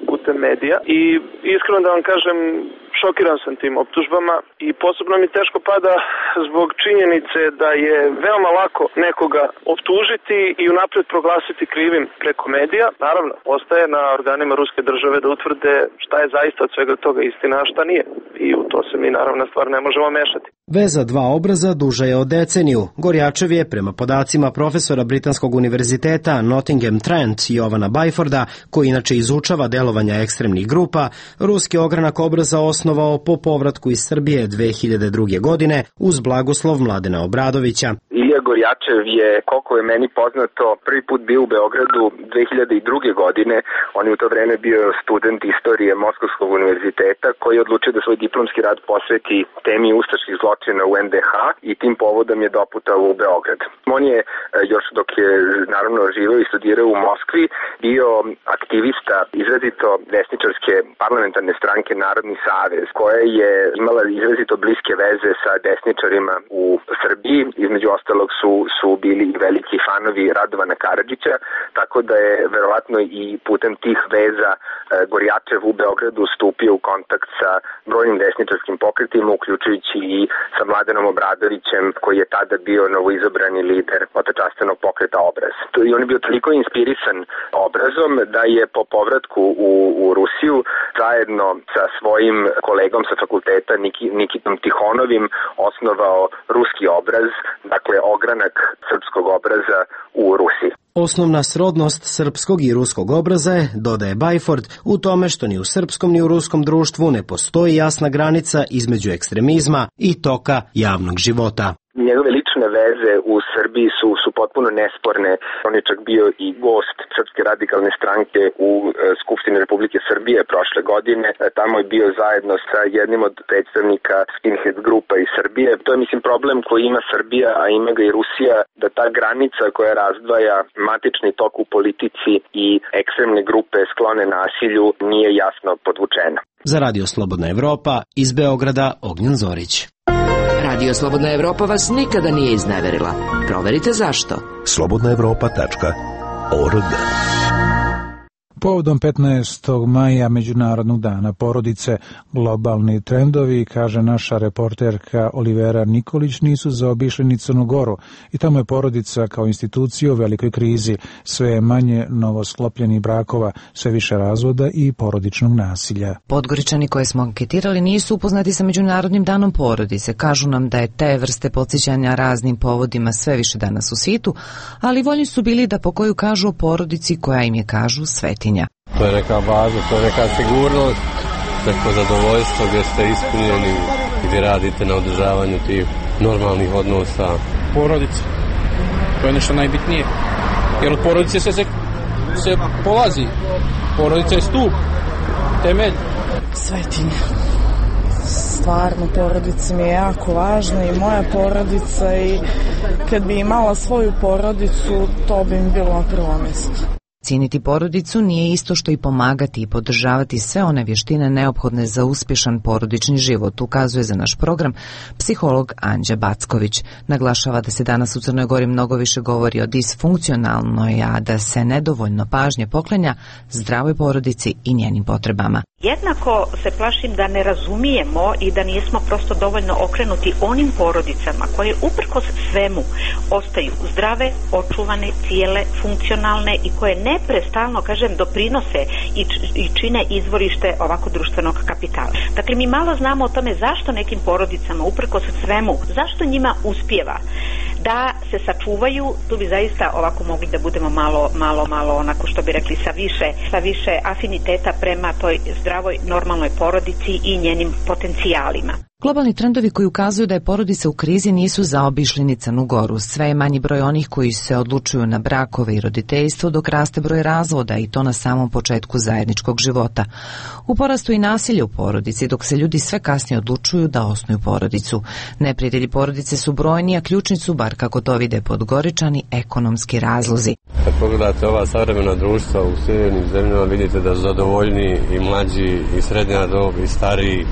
putem medija i iskreno da vam kažem, šokiran sam tim optužbama i posebno mi teško pada zbog činjenice da je veoma lako nekoga optužiti i unapred proglasiti krivim preko medija. Naravno, ostaje na organima ruske države da utvrde šta je zaista od svega toga istina, a šta nije. I u to se mi naravno stvar ne možemo mešati. Veza dva obraza duža je od deceniju. Gorjačev je, prema podacima profesora Britanskog univerziteta Nottingham Trent Jovana Byforda, koji inače izučava delovanja ekstremnih grupa, ruski ogranak Obraza osnovao po povratku iz Srbije 2002. godine uz blagoslov Mladena Obradovića. Ilija Gorjačev je, koliko je meni poznato, prvi put bio u Beogradu 2002. godine. On je u to vreme bio student istorije Moskovskog univerziteta koji je odlučio da svoj diplomski rad posveti temi ustaških zločina u NDH i tim povodom je doputao u Beograd. On je, još dok je naravno živeo i studirao u Moskvi, bio aktivista izrazito desničarske parlamentarne stranke Narodni savez, koja je imala izrazito bliske veze sa desničarima u Srbiji. Između ostalog su bili veliki fanovi Radovana Karadžića, tako da je verovatno i putem tih veza Gorjačev u Beogradu stupio u kontakt sa brojnim desničarskim pokretima, uključujući i sa Mladenom Obradovićem, koji je tada bio novoizabrani lider otečastenog pokreta Obraz. I on je bio toliko inspirisan Obrazom da je po povratku u Rusiju zajedno sa svojim kolegom sa fakulteta Nikitom Tihonovim osnovao Ruski Obraz, dakle ogranak Srpskog obraza u Rusiji. Osnovna srodnost srpskog i ruskog obraza je, dodaje Byford, u tome što ni u srpskom ni u ruskom društvu ne postoji jasna granica između ekstremizma i toka javnog života. Njegove lične veze u Srbiji su potpuno nesporne. On je čak bio i gost Srpske radikalne stranke u Skupštini Republike Srbije prošle godine. Tamo je bio zajedno sa jednim od predstavnika skinhead grupa iz Srbije. To je, mislim, problem koji ima Srbija, a ima ga i Rusija, da ta granica koja razdvaja matični tok u politici i ekstremne grupe sklone nasilju nije jasno podvučena. Za Radio Slobodna Evropa iz Beograda Ognjen Zorić. Radio Slobodna Evropa vas nikada nije izneverila. Proverite zašto. slobodnaevropa.org. Povodom 15. maja Međunarodnog dana porodice, globalni trendovi, kaže naša reporterka Olivera Nikolić, nisu zaobišli ni Crnu Goru i tamo je porodica kao institucija u velikoj krizi. Sve je manje novosklopljenih brakova, sve više razvoda i porodičnog nasilja. Podgoričani koje smo anketirali nisu upoznati sa Međunarodnim danom porodice. Kažu nam da je te vrste podsjećanja raznim povodima sve više danas u svijetu, ali voljni su bili da po koju kažu o porodici koja im je, kažu, svetinja. To je neka baza, to je neka sigurnost, neko zadovoljstvo gdje ste ispunjeni, gdje radite na održavanju tih normalnih odnosa. Porodica, to je nešto najbitnije, jer od porodice se polazi, porodica je stup, temelj. Svetinja. Stvarno, porodica mi je jako važna i moja porodica, i kad bi imala svoju porodicu, to bi mi bilo na prvo mjesto. Cijeniti porodicu nije isto što i pomagati i podržavati sve one vještine neophodne za uspješan porodični život, ukazuje za naš program psiholog Anđa Backović. Naglašava da se danas u Crnoj Gori mnogo više govori o disfunkcionalnoj, a da se nedovoljno pažnje poklanja zdravoj porodici i njenim potrebama. Jednako se plašim da ne razumijemo i da nismo prosto dovoljno okrenuti onim porodicama koje uprkos svemu ostaju zdrave, očuvane, cijele, funkcionalne i koje neprestano, kažem, doprinose i čine izvorište ovako društvenog kapitala. Dakle, mi malo znamo o tome zašto nekim porodicama uprkos svemu, zašto njima uspijeva da se sačuvaju. Tu bi zaista ovako mogli da budemo malo onako, što bi rekli, sa više afiniteta prema toj zdravoj, normalnoj porodici i njenim potencijalima. Globalni trendovi koji ukazuju da je porodica u krizi nisu zaobišli ni Crnu Goru. Sve je manji broj onih koji se odlučuju na brakove i roditeljstvo, dok raste broj razvoda, i to na samom početku zajedničkog života. U porastu i nasilje u porodici, dok se ljudi sve kasnije odlučuju da osnuju porodicu. Neprijatelji porodice su brojni, a ključni su, bar kako to vide Podgoričani, ekonomski razlozi. Kad pogledate ova savremena društva u sjevernim zemljama, vidite da su zadovoljni i mlađi i srednja dob i stariji,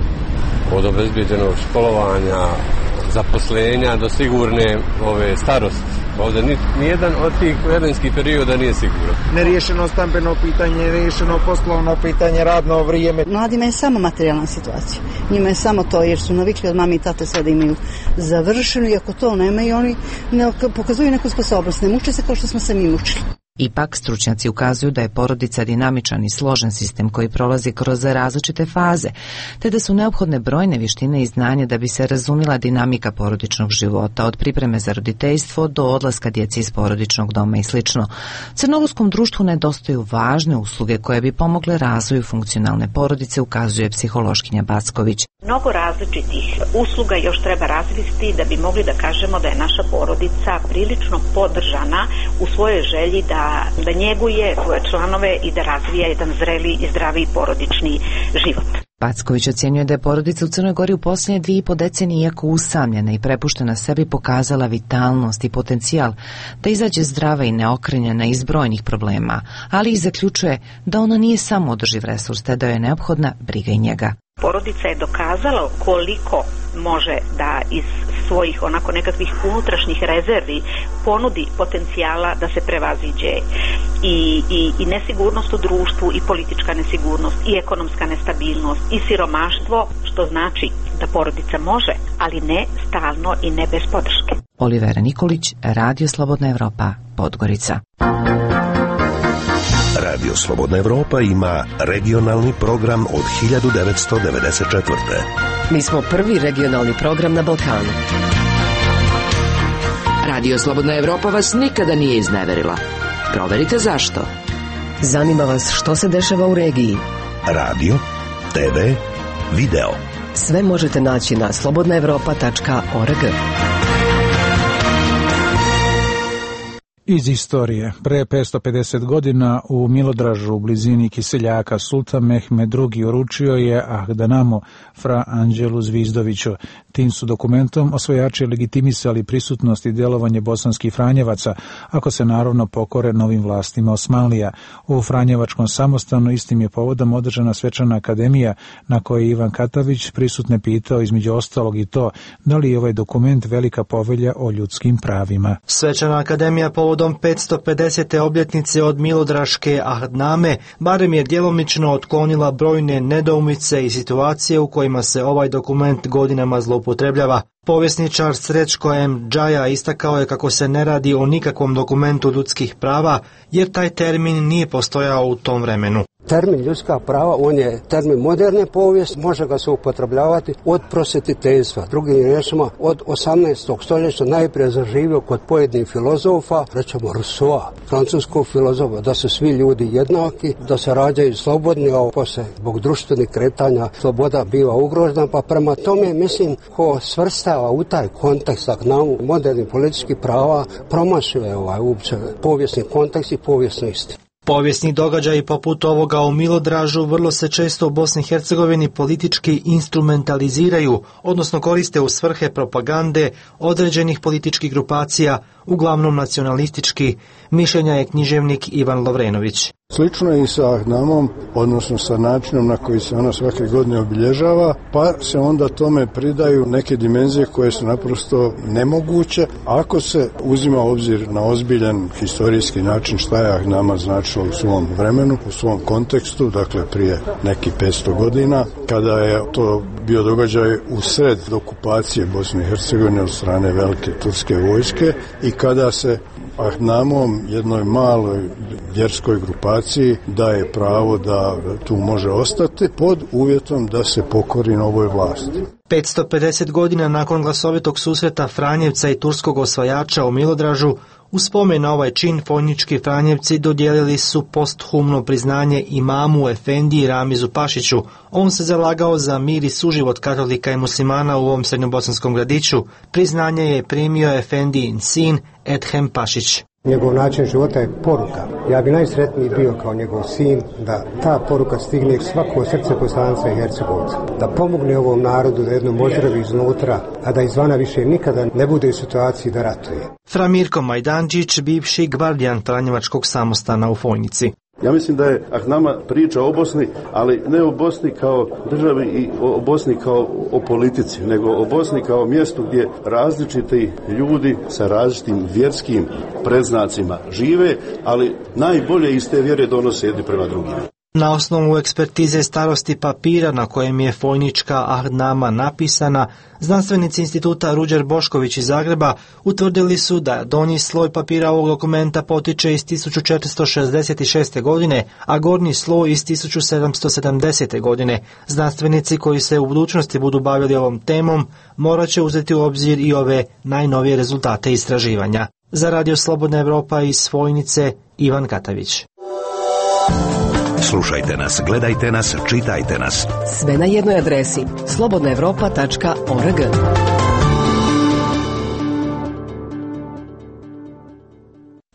od obezbeđenog školovanja, zaposlenja do sigurne starosti. Ovdje nijedan od tih vremenskih perioda nije siguran. Neriješeno stambeno pitanje, neriješeno poslovno pitanje, radno vrijeme. Mladima je samo materijalna situacija. Njima je samo to, jer su navikli od mami i tate sve da imaju završeno, i ako to nemaju, oni ne pokazuju neku sposobnost. Ne muče se kao što smo se mi mučili. Ipak, stručnjaci ukazuju da je porodica dinamičan i složen sistem koji prolazi kroz različite faze, te da su neophodne brojne vještine i znanje da bi se razumjela dinamika porodičnog života, od pripreme za roditeljstvo do odlaska djece iz porodičnog doma i sl. Crnogorskom društvu nedostaju važne usluge koje bi pomogle razvoju funkcionalne porodice, ukazuje psihološkinja Backović. Mnogo različitih usluga još treba razviti da bi mogli da kažemo da je naša porodica prilično podržana u svojoj želji da njeguje svoje članove i da razvija jedan zreli i zdravi porodični život. Backović ocjenjuje da je porodica u Crnoj Gori u posljednje 2,5 decenije, iako usamljena i prepuštena sebi, pokazala vitalnost i potencijal da izađe zdrava i neokrenjena iz brojnih problema, ali i zaključuje da ona nije samo održiv resurs, te da je neophodna briga i njega. Porodica je dokazala koliko može da iz svojih onako nekakvih unutrašnjih rezervi ponudi potencijala da se prevaziđe i nesigurnost u društvu, i politička nesigurnost, i ekonomska nestabilnost, i siromaštvo, što znači da porodica može, ali ne stalno i ne bez podrške. Olivera Nikolić, Radio Slobodna Evropa, Podgorica. Radio Slobodna Evropa ima regionalni program od 1994. Mi smo prvi regionalni program na Balkanu. Radio Slobodna Evropa vas nikada nije izneverila. Proverite zašto. Zanima vas što se dešava u regiji. Radio, TV, video. Sve možete naći na slobodnaevropa.org. Iz istorije. Pre 550 godina u Milodražu u blizini Kiseljaka Sultan Mehmed II uručio je Ahdanamu Fra Anđelu Zvizdoviću. Tim su dokumentom osvajači legitimisali prisutnost i djelovanje bosanskih Franjevaca, ako se naravno pokore novim vlastima Osmanlija. U Franjevačkom samostanu istim je povodom održana svečana akademija na kojoj je Ivan Katavić prisutne pitao između ostalog i to da li je ovaj dokument velika povelja o ljudskim pravima. Svečana akademija povodom 550. obljetnice od Milodraške Ahdname barem je djelomično otklonila brojne nedoumice i situacije u kojima se ovaj dokument godinama zloupotrebljava. Povjesničar Srećko M. Džaja istakao je kako se ne radi o nikakvom dokumentu ljudskih prava, jer taj termin nije postojao u tom vremenu. Termin ljudska prava, on je termin moderne povijesti, može ga se upotrebljavati od prosvetiteljstva. Drugim riječima, od 18. stoljeća najprije zaživio kod pojedinih filozofa, rećemo Rousseau, francuskog filozofa, da su svi ljudi jednaki, da se rađaju slobodni, a poslije zbog društvenih kretanja sloboda biva ugrožena, pa prema tome mislim ko svrstava u taj kontekst Ahdnamu modernih političkih prava promašuje uopće povijesni kontekst i povijesnu istinu. Povijesni događaji poput ovoga u Milodražu vrlo se često u Bosni i Hercegovini politički instrumentaliziraju, odnosno koriste u svrhe propagande određenih političkih grupacija, uglavnom nacionalistički, mišljenja je književnik Ivan Lovrenović. Slično je i sa Ahdnamom, odnosno sa načinom na koji se ona svake godine obilježava, pa se onda tome pridaju neke dimenzije koje su naprosto nemoguće. Ako se uzima obzir na ozbiljan historijski način šta je Ahdnama značilo u svom vremenu, u svom kontekstu, dakle prije nekih 500 godina, kada je to bio događaj u sred okupacije Bosne i Hercegovine od strane velike turske vojske i kada se Ahdnamom, jednoj maloj vjerskoj grupaciji, daje pravo da tu može ostati pod uvjetom da se pokori novoj vlasti. 550 godina nakon glasovitog susreta Franjevca i turskog osvajača u Milodražu, u spomen na ovaj čin Fojnički Franjevci dodijelili su posthumno priznanje imamu Efendiji Ramizu Pašiću. On se zalagao za mir i suživot katolika i muslimana u ovom srednjobosanskom gradiću. Priznanje je primio Efendijin sin Edhem Pašić. Njegov način života je poruka. Ja bi najsretniji bio kao njegov sin da ta poruka stigne svako srce Bosanca i Hercegovca. Da pomogne ovom narodu da jednom ozdravi iznutra, a da izvana više nikada ne bude u situaciji da ratuje. Fra Mirko Majdančić, bivši gvardijan Franjevačkog samostana u Fojnici. Ja mislim da je Ahdnama priča o Bosni, ali ne o Bosni kao državi i o Bosni kao o politici, nego o Bosni kao mjestu gdje različiti ljudi sa različitim vjerskim predznacima žive, ali najbolje iz te vjere donose jedni prema drugima. Na osnovu ekspertize starosti papira na kojem je Fojnička Ahdnama napisana, znanstvenici instituta Ruđer Bošković iz Zagreba utvrdili su da donji sloj papira ovog dokumenta potiče iz 1466. godine, a gornji sloj iz 1770. godine. Znanstvenici koji se u budućnosti budu bavili ovom temom morat će uzeti u obzir i ove najnovije rezultate istraživanja. Za Radio Slobodna Evropa iz Fojnice, Ivan Katavić. Slušajte nas, gledajte nas, čitajte nas. Sve na jednoj adresi slobodnaevropa.org.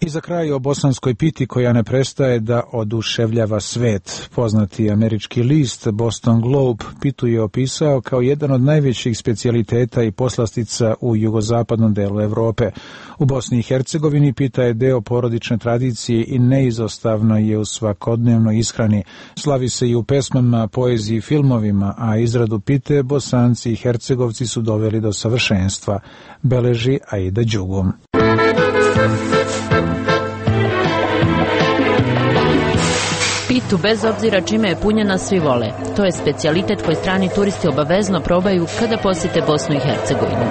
I za kraj o bosanskoj piti koja ne prestaje da oduševljava svet. Poznati američki list Boston Globe pitu je opisao kao jedan od najvećih specijaliteta i poslastica u jugozapadnom delu Evrope. U Bosni i Hercegovini pita je deo porodične tradicije i neizostavno je u svakodnevnoj ishrani. Slavi se i u pesmama, poeziji i filmovima, a izradu pite Bosanci i Hercegovci su doveli do savršenstva, beleži Aida Đugum. Pitu, bez obzira čime je punjena, svi vole. To je specijalitet koji strani turisti obavezno probaju kada posjete Bosnu i Hercegovinu.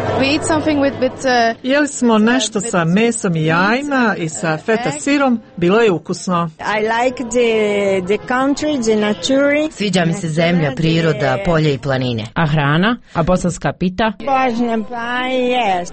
Jeli smo nešto sa mesom i jajima i sa feta sirom, bilo je ukusno. Sviđa mi se zemlja, priroda, polje i planine. A hrana? A bosanska pita?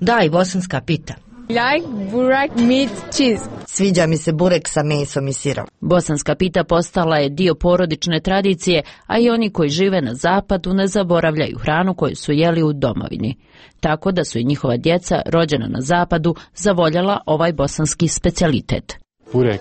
Da, i bosanska pita. Like burek, meat, cheese. Sviđa mi se burek sa mesom i sirom. Bosanska pita postala je dio porodične tradicije, a i oni koji žive na zapadu ne zaboravljaju hranu koju su jeli u domovini. Tako da su i njihova djeca, rođena na zapadu, zavoljela ovaj bosanski specijalitet. Burek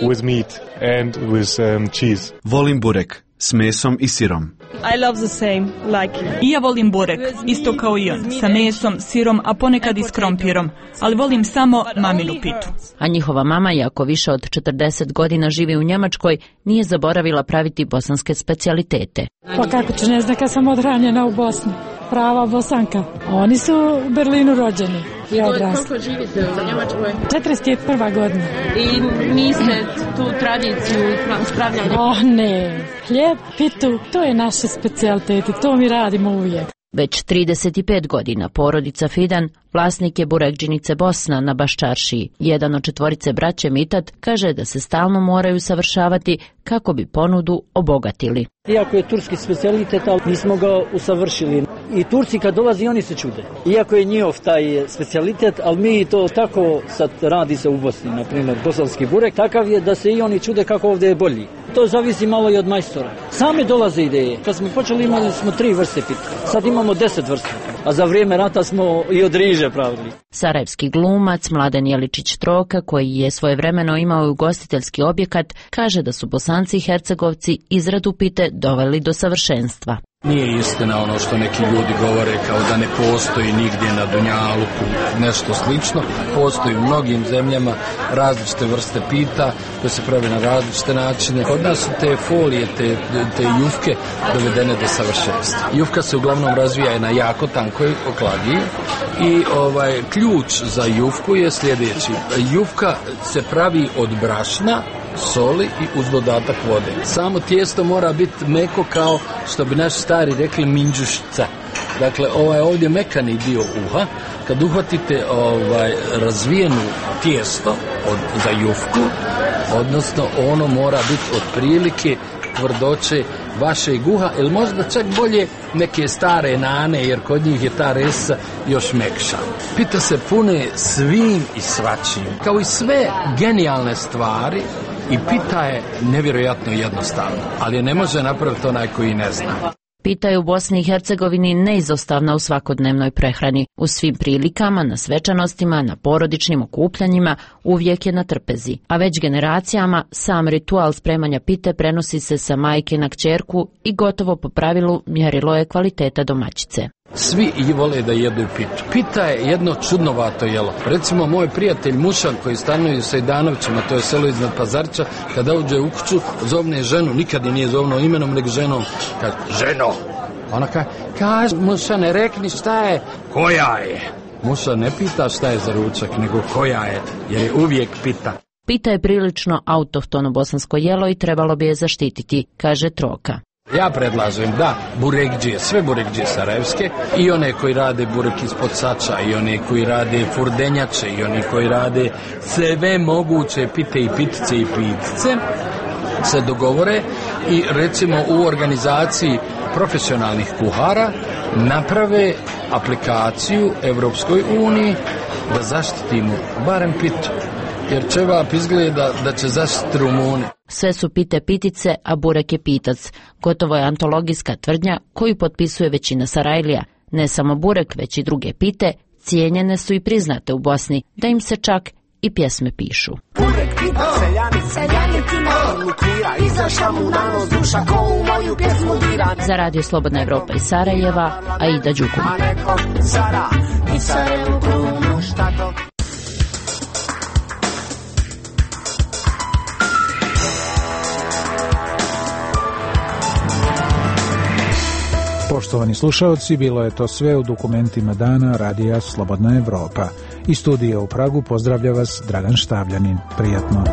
with meat and with cheese. Volim burek s mesom i sirom. I love the same, like. I ja volim burek, isto kao i on, sa mesom, sirom, a ponekad i s krompirom, ali volim samo maminu pitu. A njihova mama, iako više od 40 godina živi u Njemačkoj, nije zaboravila praviti bosanske specijalitete. Pa kako ću, ne znam, kad sam odranjena u Bosni. Prava Bosanka. Oni su u Berlinu rođeni i odrasli. Koliko živite u Njemačkoj? 41. godina. I niste tu tradiciju ispravljali? Ne. Hljeb, pitu, to je naše specijalitete, to mi radimo uvijek. Već 35 godina porodica Fidan vlasnik je burekdžinice Bosna na Baščaršiji. Jedan od 4 braće Mitat kaže da se stalno moraju savršavati kako bi ponudu obogatili. Iako je turski specijalitet, ali nismo ga usavršili. I Turci kad dolazi, oni se čude. Iako je njihov taj specijalitet, ali mi to tako sad radi se u Bosni, na primjer bosanski burek, takav je da se i oni čude kako ovdje je bolji. To zavisi malo i od majstora. Same dolaze ideje. Kad smo počeli imali smo 3 vrste pita, sad imamo 10 vrsta. A za vrijeme rata smo i od riže pravili. Sarajevski glumac Mladen Jeličić Troka, koji je svojevremeno imao ugostiteljski objekat, kaže da su Bosanci i Hercegovci izradu pite doveli do savršenstva. Nije istina ono što neki ljudi govore kao da ne postoji nigdje na Dunjaluku nešto slično. Postoji u mnogim zemljama različite vrste pita koje se pravi na različite načine. Kod nas su te folije, te jufke dovedene do savršenstva. Jufka se uglavnom razvija na jako tankoj oklagiji i ključ za jufku je sljedeći. Jufka se pravi od brašna, soli i uz dodatak vode. Samo tijesto mora biti meko kao što bi naši stari rekli minđušica. Dakle, ovdje mekani dio uha. Kad uhvatite razvijenu tijesto za jufku, odnosno ono mora biti otprilike tvrdoće vašeg uha, ili možda čak bolje neke stare nane, jer kod njih je ta resa još mekša. Pita se pune svim i svačim. Kao i sve genijalne stvari, i pita je nevjerojatno jednostavno, ali je ne može napraviti onaj koji ne zna. Pita je u Bosni i Hercegovini neizostavna u svakodnevnoj prehrani. U svim prilikama, na svečanostima, na porodičnim okupljanjima uvijek je na trpezi. A već generacijama sam ritual spremanja pite prenosi se sa majke na kćerku i gotovo po pravilu mjerilo je kvaliteta domaćice. Svi i vole da jedu pitu. Pita je jedno čudnovato jelo. Recimo, moj prijatelj Mušan koji stanuje sa Idanovićima, to je selo iznad Pazarića, kada uđe u kuću, zovne ženu, nikad je nije zovno imenom, nego ženom. Kaže, ženo! Ona kaže, Mušane, rekni šta je, koja je? Mušan ne pita šta je za ručak, nego koja je, jer je uvijek pita. Pita je prilično autohtono bosansko jelo i trebalo bi je zaštititi, kaže Troka. Ja predlažem da burekdžije, sve burekdžije sarajevske, i one koji rade burek ispod sača, i one koji rade furdenjače, i oni koji rade sve moguće pite i pitice i pitice, se dogovore i recimo u organizaciji profesionalnih kuhara naprave aplikaciju Evropskoj uniji da zaštitimo barem pitu. Jer ćevap izgleda da će zaštiti Rumuni. Sve su pite pitice, a burek je pitac. Gotovo je antologijska tvrdnja koju potpisuje većina Sarajlija. Ne samo burek, već i druge pite cijenjene su i priznate u Bosni, da im se čak i pjesme pišu. Burek pita seljanica, lukira, izašla mu na nos duša ko u moju pjesmu dira. Za Radio Slobodna Evropa iz Sarajeva, Aida Đukuma. Poštovani slušalci, bilo je to sve u dokumentima dana Radija Slobodna Evropa. Iz studija u Pragu pozdravlja vas Dragan Štavljanin. Prijatno.